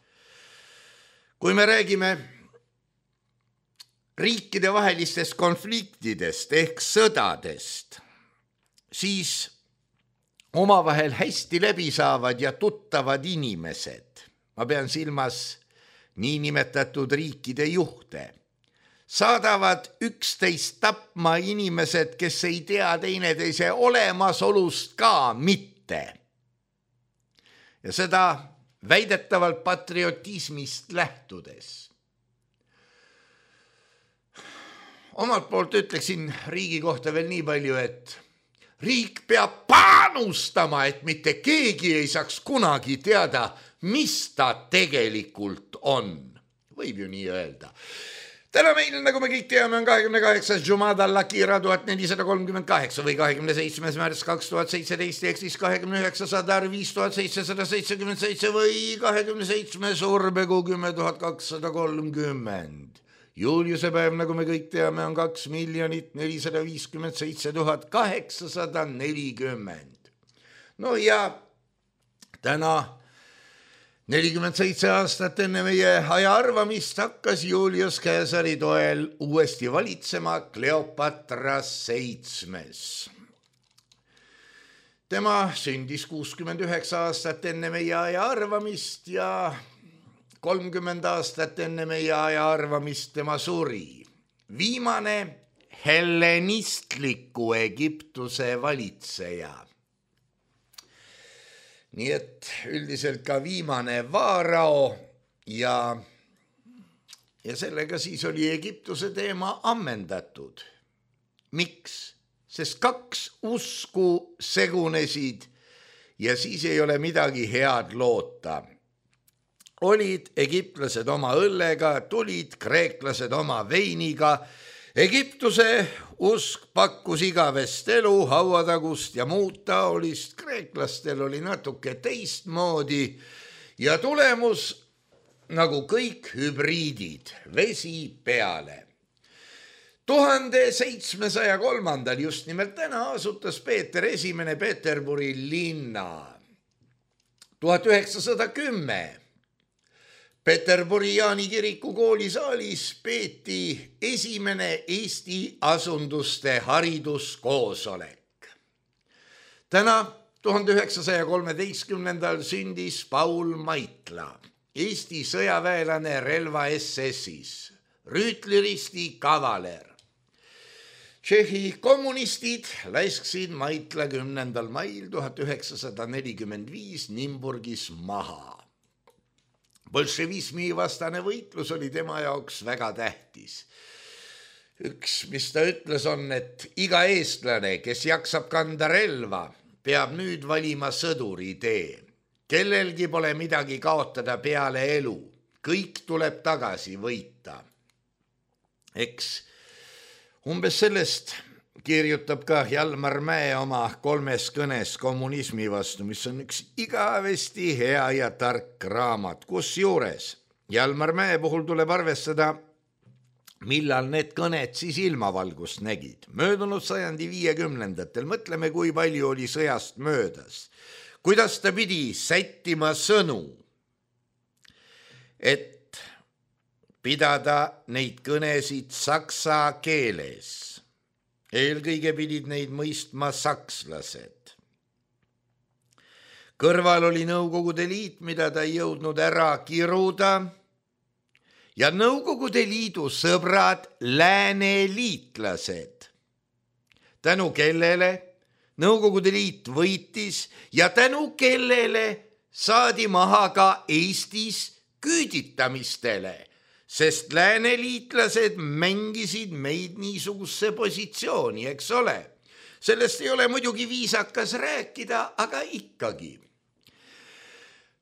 Speaker 3: Kui me räägime riikide vahelistest konfliktidest ehk sõdadest, siis omavahel hästi läbi saavad ja tuttavad inimesed, ma pean silmas niinimetatud riikide juhte, saadavad üksteist tapma inimesed, kes ei tea teineteise olemasolust ka mitte. Ja seda väidetavalt patriotismist lähtudes. Omalt poolt ütleksin riigi kohta veel nii palju, et riik peab panustama, et mitte keegi ei saaks kunagi teada, mis ta tegelikult on. Võib ju nii öelda. Täna meil, nagu me kõik teame, on kahekümne kaheksas Jumada Lakira tuhat nelisada kolmkümmend kaheksa või kahekümne seitsmes märts kaks tuhat seitseteist ehk siis kahekümne üheksas Adar viis tuhat seitsesada seitsekümmend seitse või kahekümne seitsmes Urbekuu kümme tuhat kakssada kolmkümmend. Juuliuse päev, nagu me kõik teame, on kaks miljonit nelisada viiskümmend seitse tuhat kaheksasada nelikümmend. No ja täna nelikümmend seitse aastat enne meie aja arvamist hakkas Julius Caesari toel uuesti valitsema Kleopatra seitsmes. Tema sündis kuuskümmend üheksa aastat enne meie aja arvamist ja kolmkümmend aastat enne meie aja arvamist tema suri. Viimane hellenistliku Egiptuse valitseja. Nii et üldiselt ka viimane vaarao ja, ja sellega siis oli Egiptuse teema ammendatud. Miks? Sest kaks usku segunesid ja siis ei ole midagi head loota. Olid egiptlased oma õllega, tulid kreeklased oma veiniga. Egiptuse usk pakkus igavest elu, hauatagust ja muud taolist. Kreeklastel oli natuke teistmoodi ja tulemus nagu kõik hübriidid, vesi peale. tuhande seitsmesaja kolmandal just nimelt täna asutas Peeter esimene Peterburi linna. tuhat üheksasada kümme Peterburi Jaani kiriku koolisaalis peeti esimene Eesti asunduste hariduskoosolek. Täna tuhande üheksasaja kolmeteistkümnendal sündis Paul Maitla, Eesti sõjaväelane relva S S-is, rüütliristi kavaler. Tšehhi kommunistid laisksid Maitla kümnendal mail tuhat üheksasada nelikümmend viis Nimburgis maha. Bolševismi vastane võitlus oli tema jaoks väga tähtis. Üks, mis ta ütles, on, et iga eestlane, kes jaksab kanda relva, peab nüüd valima sõduri tee. Kellelgi pole midagi kaotada peale elu. Kõik tuleb tagasi võita. Eks umbes sellest kirjutab ka Jalmar Mäe oma kolmes kõnes kommunismi vastu, mis on üks igavesti hea ja tark raamat. Kus juures Jalmar Mäe puhul tuleb arvestada, millal need kõned siis ilmavalgust nägid. Möödunud sajandi viiekümnendatel, mõtleme, kui palju oli sõjast möödas. Kuidas ta pidi sättima sõnu, et pidada neid kõnesid saksa keeles. Eelkõige pidid neid mõistma sakslased. Kõrval oli Nõukogude Liit, mida ta ei jõudnud ära kiruda, ja Nõukogude Liidu sõbrad lääneliitlased, tänu kellele Nõukogude Liit võitis ja tänu kellele saadi maha ka Eestis küüditamistele, sest lääneliitlased mängisid meid niisuguse positsiooni, eks ole. Sellest ei ole muidugi viisakas rääkida, aga ikkagi.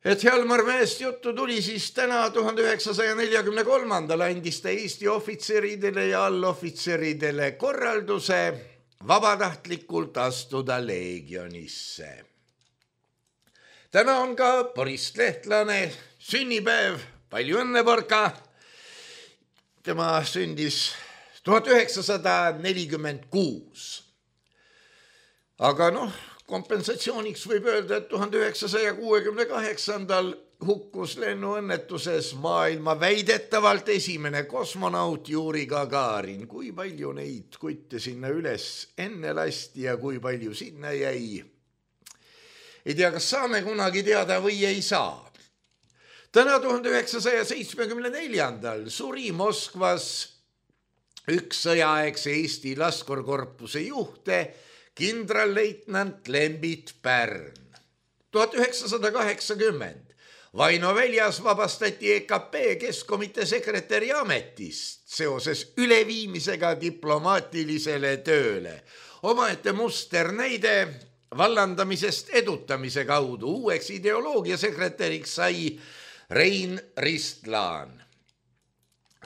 Speaker 3: Et Jalmar Mäest juttu tuli, siis täna tuhande üheksasaja neljakümne kolmandal andis ta Eesti ohvitseridele ja allohvitseridele korralduse vabatahtlikult astuda leegionisse. Täna on ka Boris Lehtlane sünnipäev, palju õnne, Borka! Tema sündis tuhat üheksasada nelikümmend kuus. Aga noh, kompensatsiooniks võib öelda, et tuhande üheksasaja kuuekümne kaheksandal hukkus lennuõnnetuses maailma väidetavalt esimene kosmonaut Juri Gagarin. Kui palju neid kutte sinna üles enne lasti ja kui palju sinna jäi? Ei tea, kas saame kunagi teada või ei saa. Täna tuhande üheksasaja seitsmekümne neljandal suri Moskvas üks sõjaaegse Eesti laskurkorpuse juhte, kindralleitnant Lembit Pärn. tuhat üheksasada kaheksakümmend Vaino Väljas vabastati E K P Keskkomitee sekretäri ametist seoses üleviimisega diplomaatilisele tööle. Omaette musternäide vallandamisest edutamise kaudu uueks ideoloogia sekretäriks sai Rein Ristlaan.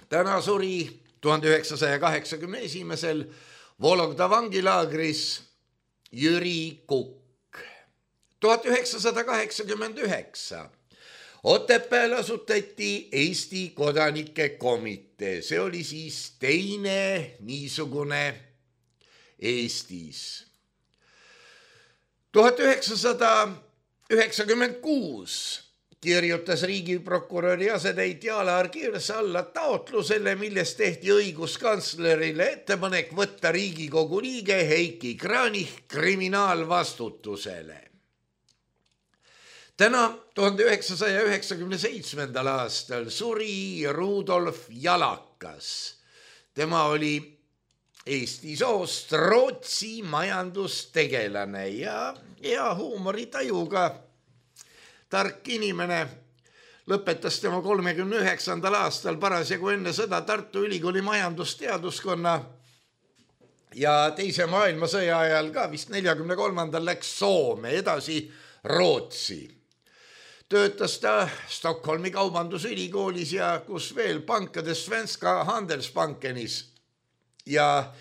Speaker 3: Täna suri tuhande üheksasaja kaheksakümne esimesel Vologda vangilaagris Jüri Kukk. tuhat üheksasada kaheksakümmend üheksa Otepääl asutati Eesti kodanike komitee. See oli siis teine niisugune Eestis. tuhat üheksasada üheksakümmend kuus kirjutas riigiprokuröri asetäitja Alar Kirs alla taotlusele, milles tehti õiguskantslerile ettepanek võtta Riigikogu liige Heiki Kranich kriminaalvastutusele. Täna tuhande üheksasaja üheksakümne seitsmendal aastal suri Rudolf Jalakas. Tema oli Eesti soost Rootsi majandustegelane ja hea huumoritajuga tark inimene. Lõpetas tema kolmekümne üheksandal aastal parasjagu enne sõda Tartu Ülikooli majandusteaduskonna ja teise maailmasõja ajal ka vist neljakümne kolmandal läks Soome, edasi Rootsi. Töötas ta Stockholmi kaubandusülikoolis ja kus veel pankades Svenska Handelsbankenis ja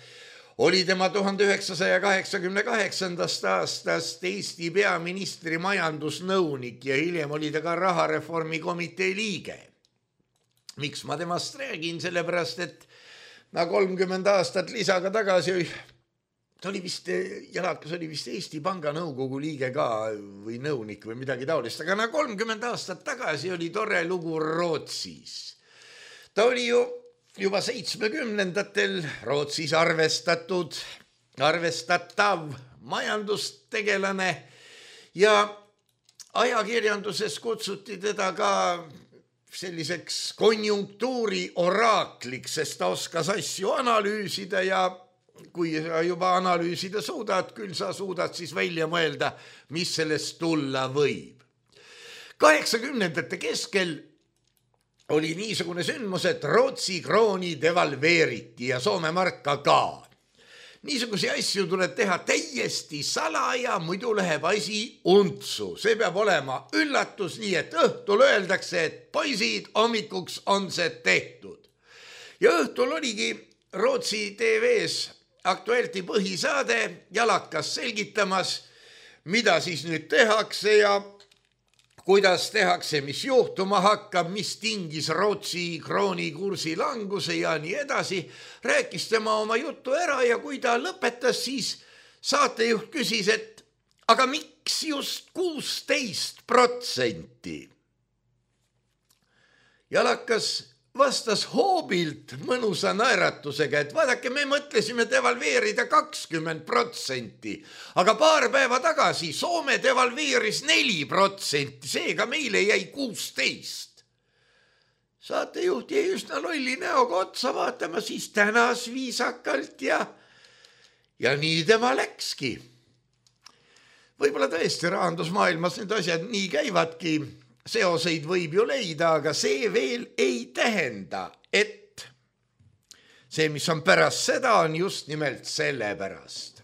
Speaker 3: oli tema tuhande üheksasaja kaheksakümne kaheksandast aastast Eesti peaministri majandusnõunik ja hiljem oli ta ka rahareformi komitee liige. Miks ma temast räägin? Sellepärast, et na kolmkümmend aastat lisaga tagasi ta oli vist, Jalakas oli vist Eesti Panga nõukogu liige ka või nõunik või midagi taolist, aga na kolmkümmend aastat tagasi oli tore lugu Rootsis. Ta oli ju juba seitsmekümnendatel Rootsis arvestatud, arvestatav majandustegelane ja ajakirjanduses kutsuti teda ka selliseks konjunktuuri oraakliks, sest ta oskas asju analüüsida ja kui sa juba analüüsida suudad, küll sa suudad siis välja mõelda, mis sellest tulla võib. kaheksakümnendate keskel oli niisugune sündmus, et Rootsi krooni devalveeriti ja Soome marka ka. Niisugusi asju tuleb teha täiesti salaja, muidu läheb asi untsu. See peab olema üllatus, nii et õhtul öeldakse, et poisid, hommikuks on see tehtud. Ja õhtul oligi Rootsi T V-s Aktuelti põhisaade Jalakas selgitamas, mida siis nüüd tehakse ja kuidas tehakse, mis juhtuma hakkab, mis tingis Rootsi krooni kursi languse ja nii edasi. Rääkis tema oma jutu ära ja kui ta lõpetas, siis saatejuht küsis, et aga miks just kuusteist protsenti? Jalakas vastas hoobilt mõnusa naeratusega, et vaadake, me mõtlesime devalveerida kakskümmend protsenti, aga paar päeva tagasi Soome devalveeris neli protsenti, seega meile jäi kuusteist. Saatejuht jäi üsna lolli näoga otsa vaatama, siis tänas viisakalt ja, ja nii tema läkski. Võib-olla tõesti rahandusmaailmas need asjad nii käivadki, seoseid võib ju leida, aga see veel ei tähenda, et see, mis on pärast seda, on just nimelt selle pärast.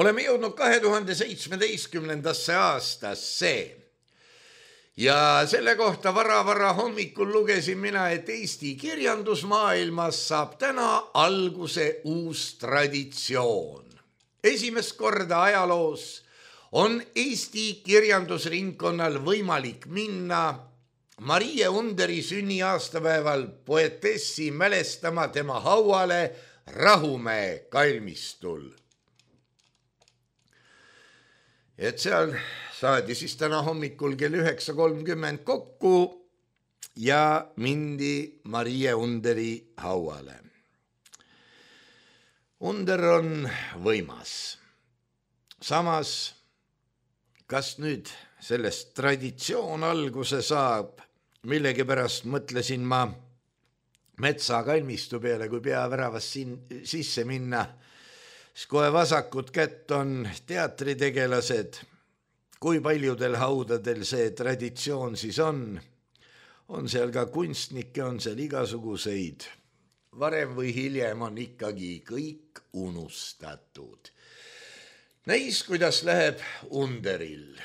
Speaker 3: Oleme jõudnud kahe tuhande seitsmeteistkümnendasse aastasse ja selle kohta vara-vara hommikul lugesin mina, et Eesti kirjandusmaailmas saab täna alguse uus traditsioon. Esimest korda ajaloos on Eesti kirjandusringkonnal võimalik minna Marie Underi sünniaastapäeval poetessi mälestama tema hauale Rahumäe kalmistul. Et seal saadi siis täna hommikul kell üheksa kolmkümmend kokku ja mindi Marie Underi hauale. Under on võimas. Samas kas nüüd sellest traditsioon alguse saab, millegipärast mõtlesin ma metsa kalmistu peale, kui peaväravas siin sisse minna, siis kohe vasakut kätt on teatritegelased, kui paljudel haudadel see traditsioon siis on, on seal ka kunstnikke, on seal igasuguseid. Varem või hiljem on ikkagi kõik unustatud. Näis, kuidas läheb Underil.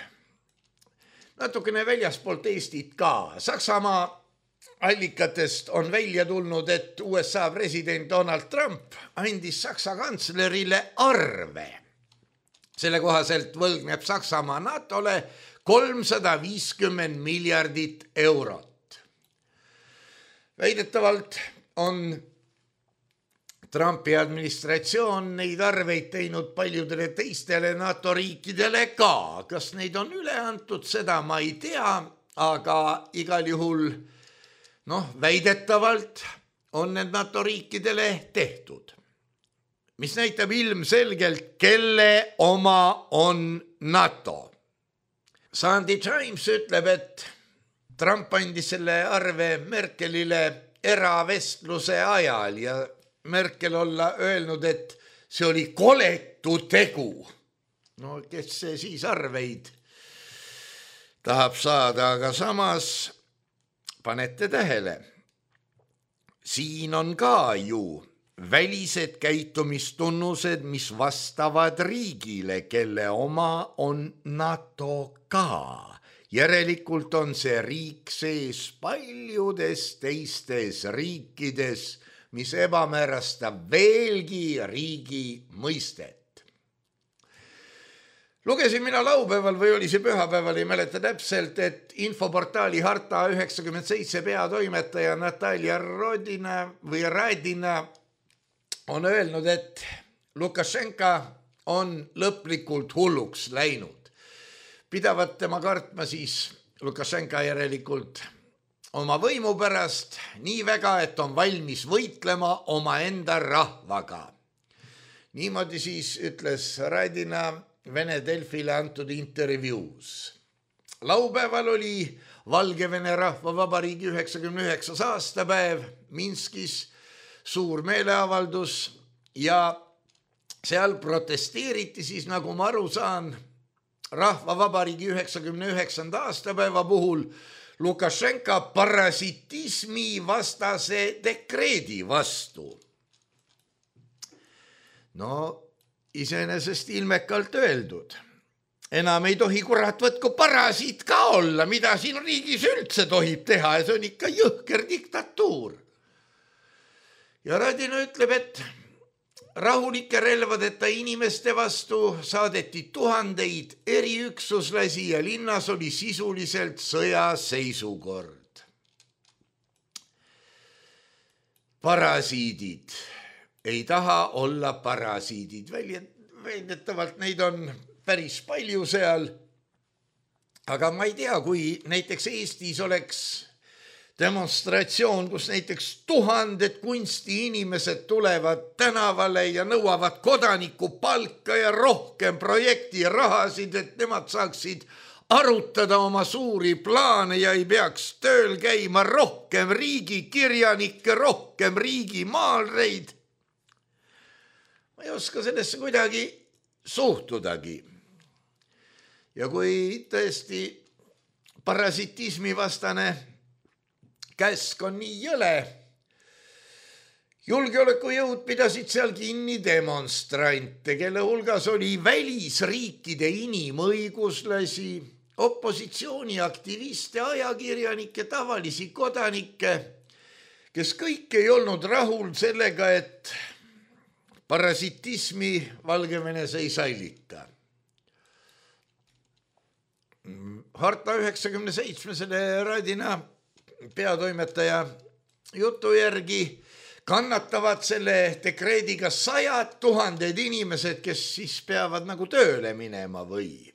Speaker 3: Natukene väljaspoolt Eestit ka. Saksamaa allikatest on välja tulnud, et U S A president Donald Trump andis Saksa kantslerile arve. Selle kohaselt võlgneb Saksamaa NATOle kolmsada viiskümmend miljardit eurot. Väidetavalt on Trumpi administratsioon neid arveid teinud paljudele teistele NATO riikidele ka. Kas neid on üle antud, seda ma ei tea, aga igal juhul noh, väidetavalt on need NATO riikidele tehtud. Mis näitab ilmselgelt, kelle oma on NATO. Sunday Times ütleb, et Trump andis selle arve Merkelile eravestluse ajal ja Merkel olla öelnud, et see oli koletu tegu. No kes see siis arveid tahab saada, aga samas panete tähele. Siin on ka ju välised käitumistunnused, mis vastavad riigile, kelle oma on NATO ka. Järelikult on see riik sees paljudes teistes riikides, mis ebamäärastab veelgi riigi mõistet. Lugesin mina laupäeval või oli see pühapäeval, ei mäleta täpselt, et infoportaali Harta üheksakümmend seitse peatoimetaja Natalja Rodina või Radina on öelnud, et Lukašenka on lõplikult hulluks läinud. Pidavat tema kartma siis Lukašenka järelikult oma võimu pärast nii väga, et on valmis võitlema oma enda rahvaga. Niimoodi siis ütles Radina Vene Delfile antud intervjuus. Laupäeval oli Valgevene Rahvavabariigi üheksakümne üheksas aastapäev Minskis, suur meeleavaldus ja seal protesteeriti siis, nagu ma aru saan, Rahvavabariigi üheksakümne üheksanda aastapäeva puhul Lukašenka parasitismi vastase dekreedi vastu. No, iseenesest ilmekalt öeldud. Enam ei tohi kurat võtku parasiit ka olla, mida siin riigis üldse tohib teha ja see on ikka jõhker diktatuur. Ja Radina ütleb, et rahulike relvadeta inimeste vastu saadeti tuhandeid eriüksuslasi ja linnas oli sisuliselt sõjaseisukord. Parasiidid ei taha olla parasiidid. Väidetavalt neid on päris palju seal. Aga ma ei tea, kui näiteks Eestis oleks demonstratsioon, kus näiteks tuhanded kunstiinimesed tulevad tänavale ja nõuavad kodaniku palka ja rohkem projekti ja rahasid, et nemad saaksid arutada oma suuri plaane ja ei peaks tööl käima rohkem riigikirjanikke, rohkem riigimaalreid. Ma ei oska sellesse kuidagi suhtudagi. Ja kui tõesti parasitismi vastane käsk on nii jõle, julgeolekujõud pidasid seal kinni demonstrante, kelle hulgas oli välisriikide inimõiguslasi, opositsiooniaktiviste, ajakirjanikke, tavalisi kodanikke, kes kõik ei olnud rahul sellega, et parasitismi Valgevenes ei säilita. Harta üheksakümne seitsme selle Radina peatoimetaja jutu järgi kannatavad selle dekreediga sajad tuhanded inimesed, kes siis peavad nagu tööle minema või.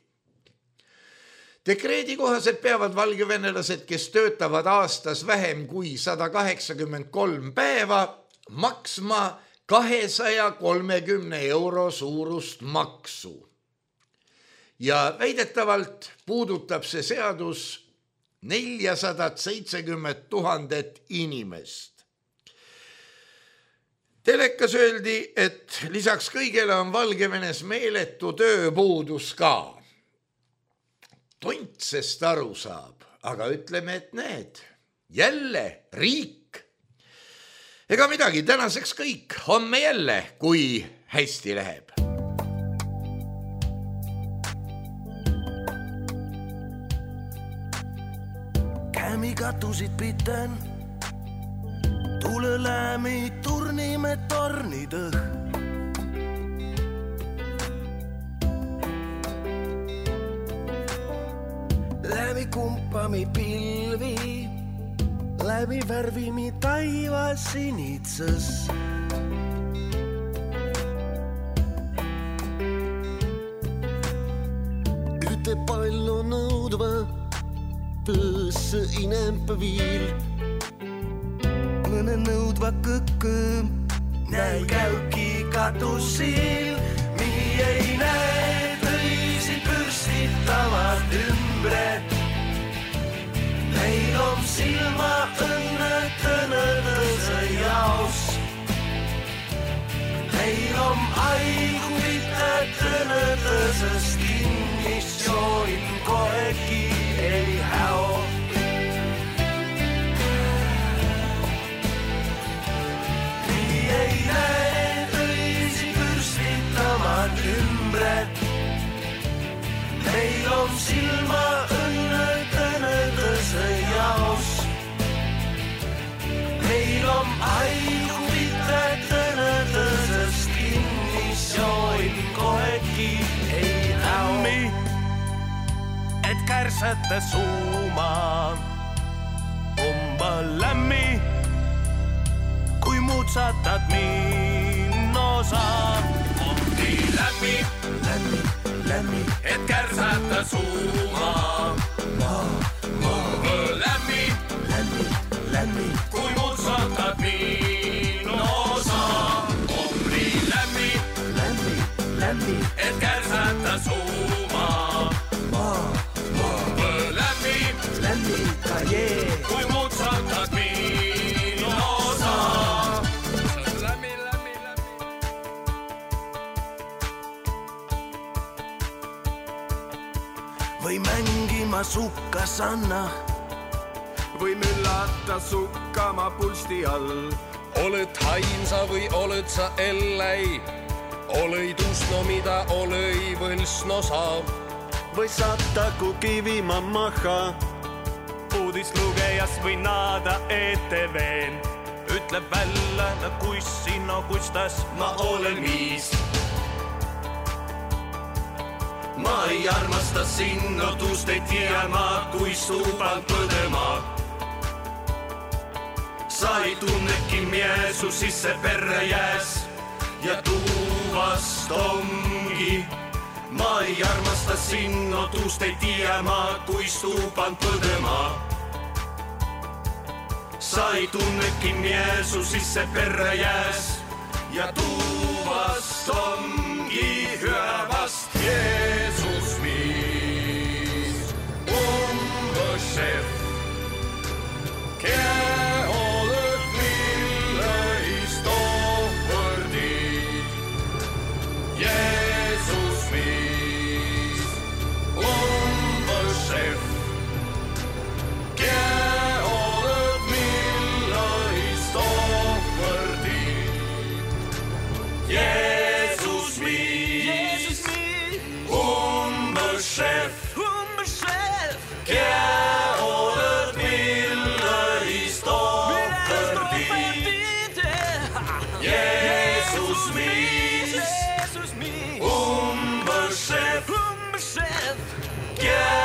Speaker 3: Dekreedi kohaselt peavad valgevenelased, kes töötavad aastas vähem kui sada kaheksakümmend kolm päeva, maksma kahesaja kolmekümne euro suurust maksu. Ja väidetavalt puudutab see seadus neljasada seitsekümmend tuhandet inimest. Telekas öeldi, et lisaks kõigele on Valgevenes meeletu tööpuudus ka. tontsest aru saab, aga ütleme, et need jälle riik. Ega midagi, tänaseks kõik, homme jälle, kui hästi läheb.
Speaker 4: Kämi katusid piten, tule lämi turnime tornidõh. Läbi kumpami pilvi, läbi värvimi taiva sinitses. Üte palju nõudva tõsse inempa viil. Mõne nõudva kõkkõ näi käuki katusil. Mi ei näe tõisi pürstitavad ümbred. Meil on silma õnne tõnõdõse jaos. Meil on aiguvite tõnõdõsest kinnisjoin kohegi ei häo. Mi ei näe tõisi pürstitavad ümbred. Meil on silma õnne tõnõdõse jaos. Meil on aiguvite tõnõdõsest kinnisjoin kohegi ei häo. Et kärsete suuma umba lämmi, kui mutsatad minnosa. Omdi lämmi, lämmi, lämmi, et kärsata suuma. Ma, ma, lämmi, lämmi, lämmi, kui mutsatad minnosa. Omdi lämmi, lämmi, lämmi, et kärsata suuma. Ma, ma, lämmi, lämmi, kajee, kui mutsatad minnosa. Lämmi, lämmi, lämmi. Või mängima sukkasanna, või müllata sukkama pulsti all.
Speaker 5: Oled hainsa või oled sa elläi, olõid usno, mida olõi võlsno saab.
Speaker 4: Või sattaku kivima maha,
Speaker 6: uudislugejas või naada E T V-n. Ütleb välja, kuis sinna kustas
Speaker 4: ma olen viis. Ma ei armasta sinna, tuust ei tea ma, kui stuuban põdema. Sa ei tunneki miesu sisse perre jääs ja tuuvast ongi. Ma ei armasta sinna, tuust ei tea ma, kui stuuban põdema. Sa ei tunneki miesu sisse perre jääs ja tuuvast ongi hüvast Jeesus viis. Umbõšef, kea oled milleist ohvõrdid. Jeesus viis. Umbõšef, kea oled milleist ohvõrdid. Jeesus viis. Umbõšef, kea oled milleist ohvõrdid. Jeesus viis. Umbõšef, kea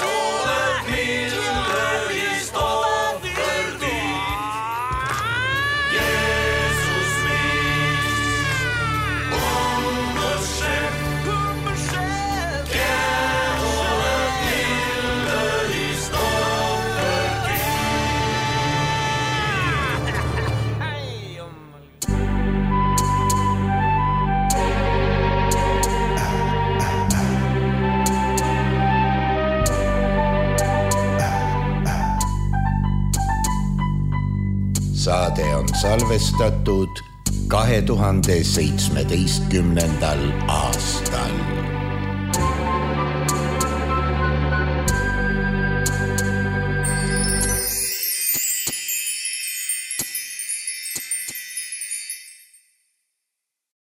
Speaker 4: oled milleist ohvõrdid. Jeesus viis. Umbõšef, kea oled milleist ohvõrdid.
Speaker 3: Saade on salvestatud kahe tuhande seitsmeteistkümnendal aastal.